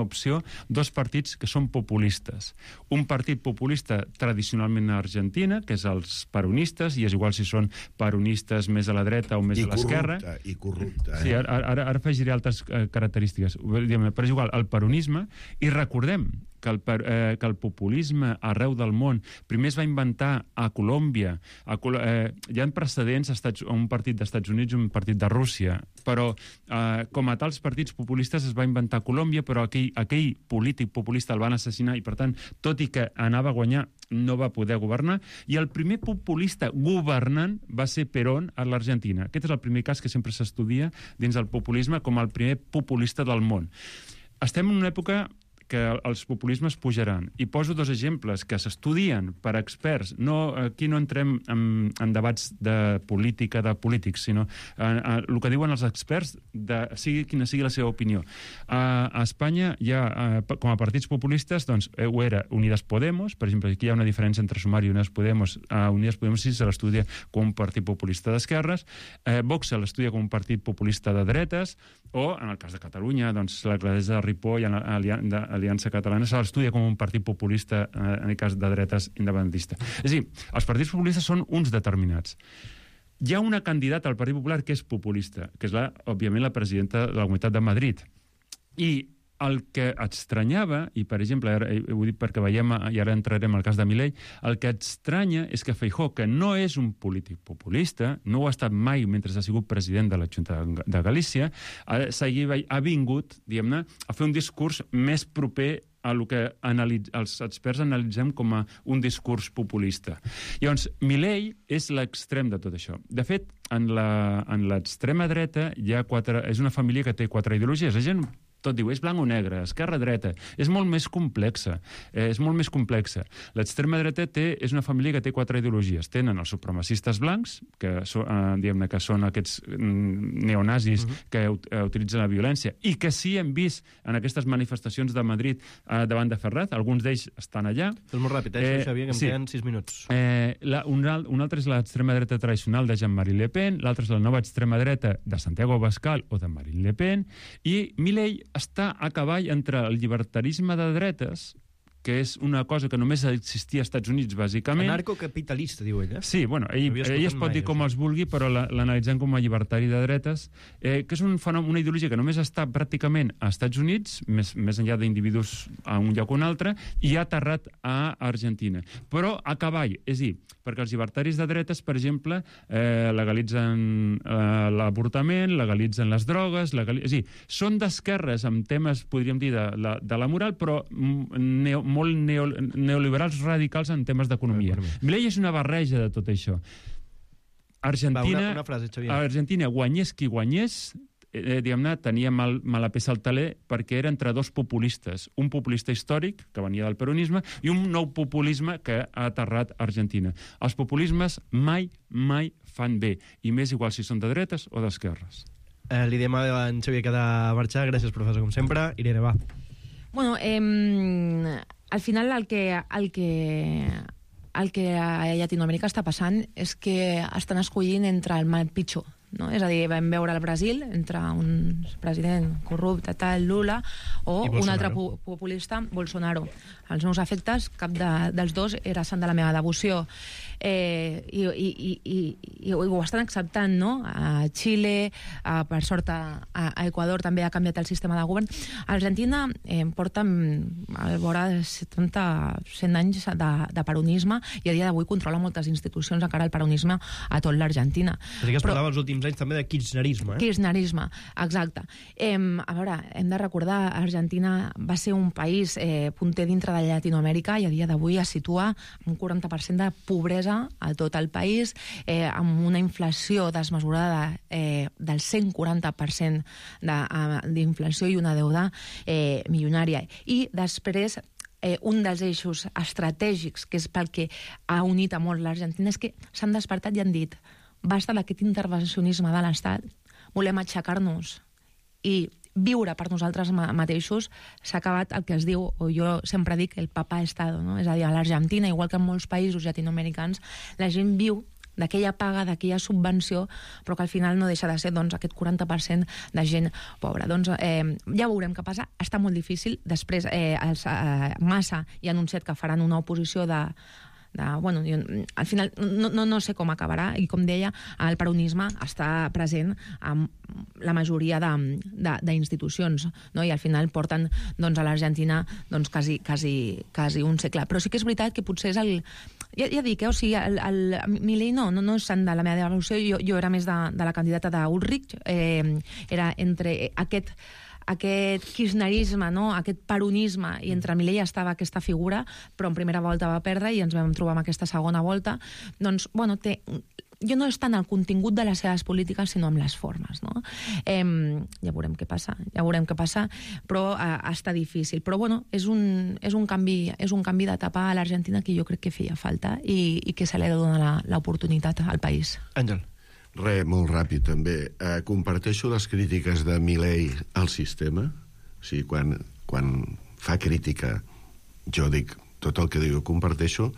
opció 2 partits que són populistes. Un partit populista tradicionalment a Argentina, que és els peronistes, i és igual si són peronistes més a la dreta o més a l'esquerra. I corrupte. Sí, ara afegiré altres característiques. Però és igual, el peronisme, i recordem que el populisme arreu del món primer es va inventar a Colòmbia. Hi ha precedents a un partit dels Estats Units i un partit de Rússia, però com a tals partits populistes es va inventar a Colòmbia, però aquell polític populista el van assassinar i, per tant, tot i que anava a guanyar, no va poder governar, i el primer populista governant va ser Perón a l'Argentina. Aquest és el primer cas que sempre s'estudia dins del populisme com el primer populista del món. Estem en una època que els populismes pujaran. I poso 2 exemples que s'estudien per experts. Aquí no entrem en debats de política, de polítics, sinó el que diuen els experts, quina sigui la seva opinió. A Espanya hi ha, com a partits populistes, doncs, ho era Unidas Podemos, per exemple, aquí hi ha una diferència entre Sumar i Unidas Podemos. Unidas Podemos sí se l'estudia com un partit populista d'esquerres, Vox se l'estudia com un partit populista de dretes, o, en el cas de Catalunya, doncs, l'alcaldessa de Ripoll, Aliança Catalana, se l'estudia com un partit populista, en el cas de dretes independentista. És a dir, els partits populistes són uns determinats. Hi ha una candidata al Partit Popular que és populista, que és, òbviament, la presidenta de la Comunitat de Madrid. I el que estranyava, i per exemple, ho dic perquè veiem, i ara entrarem al cas de Milei, el que estranya és que Feijóo, que no és un polític populista, no ho ha estat mai mentre ha sigut president de la Junta de Galícia, ha vingut, diguem-ne, a fer un discurs més proper a el que els experts analitzem com a un discurs populista. Llavors, Milei és l'extrem de tot això. De fet, en l'extrema dreta és una família que té 4 ideologies. La gent tot diu, és blanc o negre, esquerra-dreta. És molt més complexa. L'extrema dreta és una família que té 4 ideologies. Tenen els supremacistes blancs, que són aquests neonazis que utilitzen la violència, i que sí hem vist en aquestes manifestacions de Madrid davant de Ferraz. Alguns d'ells estan allà. Fes molt ràpid, Xavier, que em queden 6 minuts. Un altre és l'extrema dreta tradicional de Jean-Marie Le Pen, l'altre és la nova extrema dreta de Santiago Abascal o de Marine Le Pen, i Milei està a cavall entre el llibertarisme de dretes, que és una cosa que només existia als Estats Units, bàsicament. Anarcocapitalista, diu ella. Sí, bueno, ell es pot dir com els vulgui, però l'analitzem com a llibertari de dretes, que és un fenomen, una ideologia que només està pràcticament als Estats Units, més enllà d'individus a un lloc o un altre, i ha aterrat a Argentina. Però a cavall, és a dir, perquè els llibertaris de dretes, per exemple, legalitzen l'avortament, legalitzen les drogues, és a dir, són d'esquerres amb temes, podríem dir, de la moral, però molt neoliberals radicals en temes d'economia. Milei és una barreja de tot això. Argentina, una frase, Xavier. Argentina, guanyés qui guanyés, diguem-ne, tenia mala peça al taler perquè era entre dos populistes. Un populista històric, que venia del peronisme, i un nou populisme que ha aterrat a Argentina. Els populismes mai fan bé, i més igual si són de dretes o d'esquerres. Li diem a en Xavier que ha de marxar. Gràcies, professor, com sempre. Irene, va. Bueno, al final el que a Llatinoamèrica està passant és que estan escollint entre el mal pitjor, no? És a dir, vam veure al Brasil entre un president corrupte, tal, Lula, o un altre populista, Bolsonaro. Els meus afectes, cap dels dos era sant de la meva devoció. I ho estan acceptant, no? A Xile, per sort a Equador també ha canviat el sistema de govern. A Argentina porta a vora 100 anys de peronisme i a dia d'avui controla moltes institucions, encara el peronisme a tot l'Argentina. Però sí que es parlava els últims anys també de kirchnerisme. Kirchnerisme, exacte. A veure, hem de recordar, Argentina va ser un país punter dintre de Llatinoamèrica i a dia d'avui es situa un 40% de pobresa a tot el país, amb una inflació desmesurada del 140% d'inflació i una deuda milionària. I després, un dels eixos estratègics, que és pel que ha unit a molt l'Argentina, és que s'han despertat i han dit basta d'aquest intervencionisme de l'Estat, volem aixecar-nos i viure per nosaltres mateixos. S'ha acabat el que es diu, o jo sempre dic, el papá Estado, no? És a dir, a l'Argentina, igual que en molts països llatinoamericans, la gent viu d'aquella paga, d'aquella subvenció, però que al final no deixa de ser aquest 40% de gent pobra. Doncs ja veurem què passa. Està molt difícil. Després, Massa ja ha anunciat que faran una oposició bueno, al final no sé com acabarà, i com deia, el peronisme està present en la majoria d'institucions, no? I al final porten a l'Argentina quasi un segle. Però sí que és veritat que potser és ja dic, o sigui, Milei no és sant de la meva devoció. Jo era més de la candidata d'Ulrich, era entre aquest kirchnerisme, no? Aquest peronisme, i entre Milei estava aquesta figura, però en primera volta va perdre i ens vam trobar en aquesta segona volta. Doncs, bueno, jo no és tant el contingut de les seves polítiques, sinó amb les formes, no? Ja veurem què passa, però està difícil. Però, bueno, és un canvi d'etapa a l'Argentina que jo crec que feia falta i que se li ha de donar l'oportunitat al país. Àngel. Molt ràpid, també. Comparteixo les crítiques de Milei al sistema. O sigui, quan fa crítica, jo dic tot el que diu, comparteixo,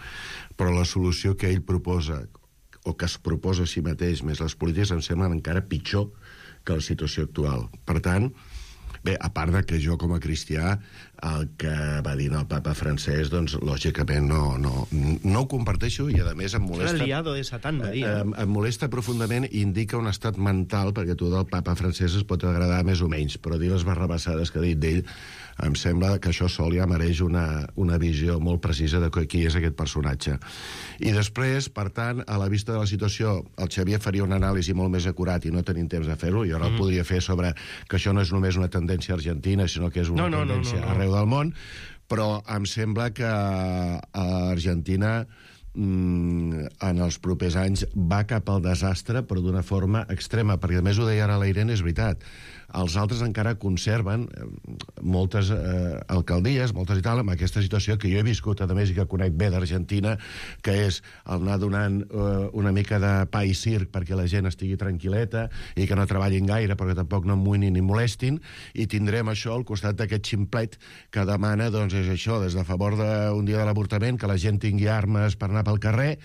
però la solució que ell proposa, o que es proposa a si mateix, més les polítiques, em semblen encara pitjor que la situació actual. Per tant, bé, a part de que jo, com a cristià, el que va dir el papa francès, doncs, lògicament, no ho comparteixo, i, a més, em molesta... El liado de Satan, va dir. Em molesta profundament i indica un estat mental, perquè tu del papa francès es pot agradar més o menys, però dir les barrabassades que ha dit d'ell, em sembla que això sol ja mereix una visió molt precisa de qui és aquest personatge. I després, per tant, a la vista de la situació, el Xavier faria una anàlisi molt més acurat i no tenim temps de fer-ho. Jo no el podria fer sobre que això no és només una tendència argentina, sinó que és una tendència arreu del món, però em sembla que Argentina en els propers anys va cap al desastre, però d'una forma extrema, perquè a més ho deia ara la Irene, és veritat. Els altres encara conserven moltes alcaldies, moltes i tal, amb aquesta situació que jo he viscut, a més, i que conec bé d'Argentina, que és el anar donant una mica de pa i circ perquè la gent estigui tranquil·leta i que no treballin gaire perquè tampoc no amoïnin ni molestin, i tindrem això al costat d'aquest ximplet que demana, doncs, és això, des de favor d'un dia de l'avortament, que la gent tingui armes per anar pel carrer,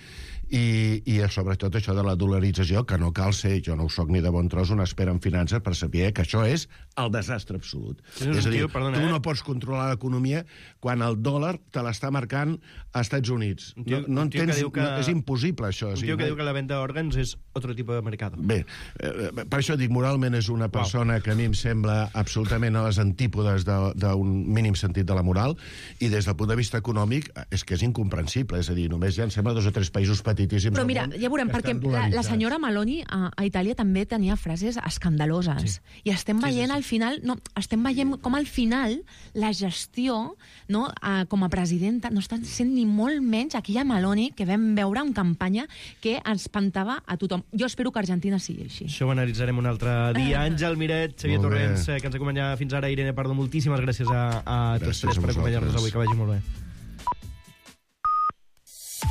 I sobretot això de la dolarització, que no cal ser, jo no ho soc ni de bon tros, un expert en finances per saber que això és el desastre absolut. És a dir, tu no pots controlar l'economia quan el dòlar te l'està marcant a Estats Units. No entens, és impossible, això. Un tio que diu que la venda d'òrgans és otro tipus de mercat. Bé, per això dic, moralment és una persona que a mi em sembla absolutament a les antípodes d'un mínim sentit de la moral, i des del punt de vista econòmic és que és incomprensible. És a dir, només ja em sembla 2 o 3 països petitíssims. Però mira, ja veurem, perquè la senyora Meloni a Itàlia també tenia frases escandaloses. I estem veient al final, estem veient com al final la gestió, com a presidenta, no està sent ni molt menys aquella Meloni que vam veure en campanya que espantava a tothom. Jo espero que Argentina sigui així. Això ho analitzarem un altre dia. Àngel Miret, Xavier Torrents, que ens acompanya fins ara. Irene Pardo, moltíssimes gràcies a tots tres per acompanyar-nos avui. Que vagi molt bé.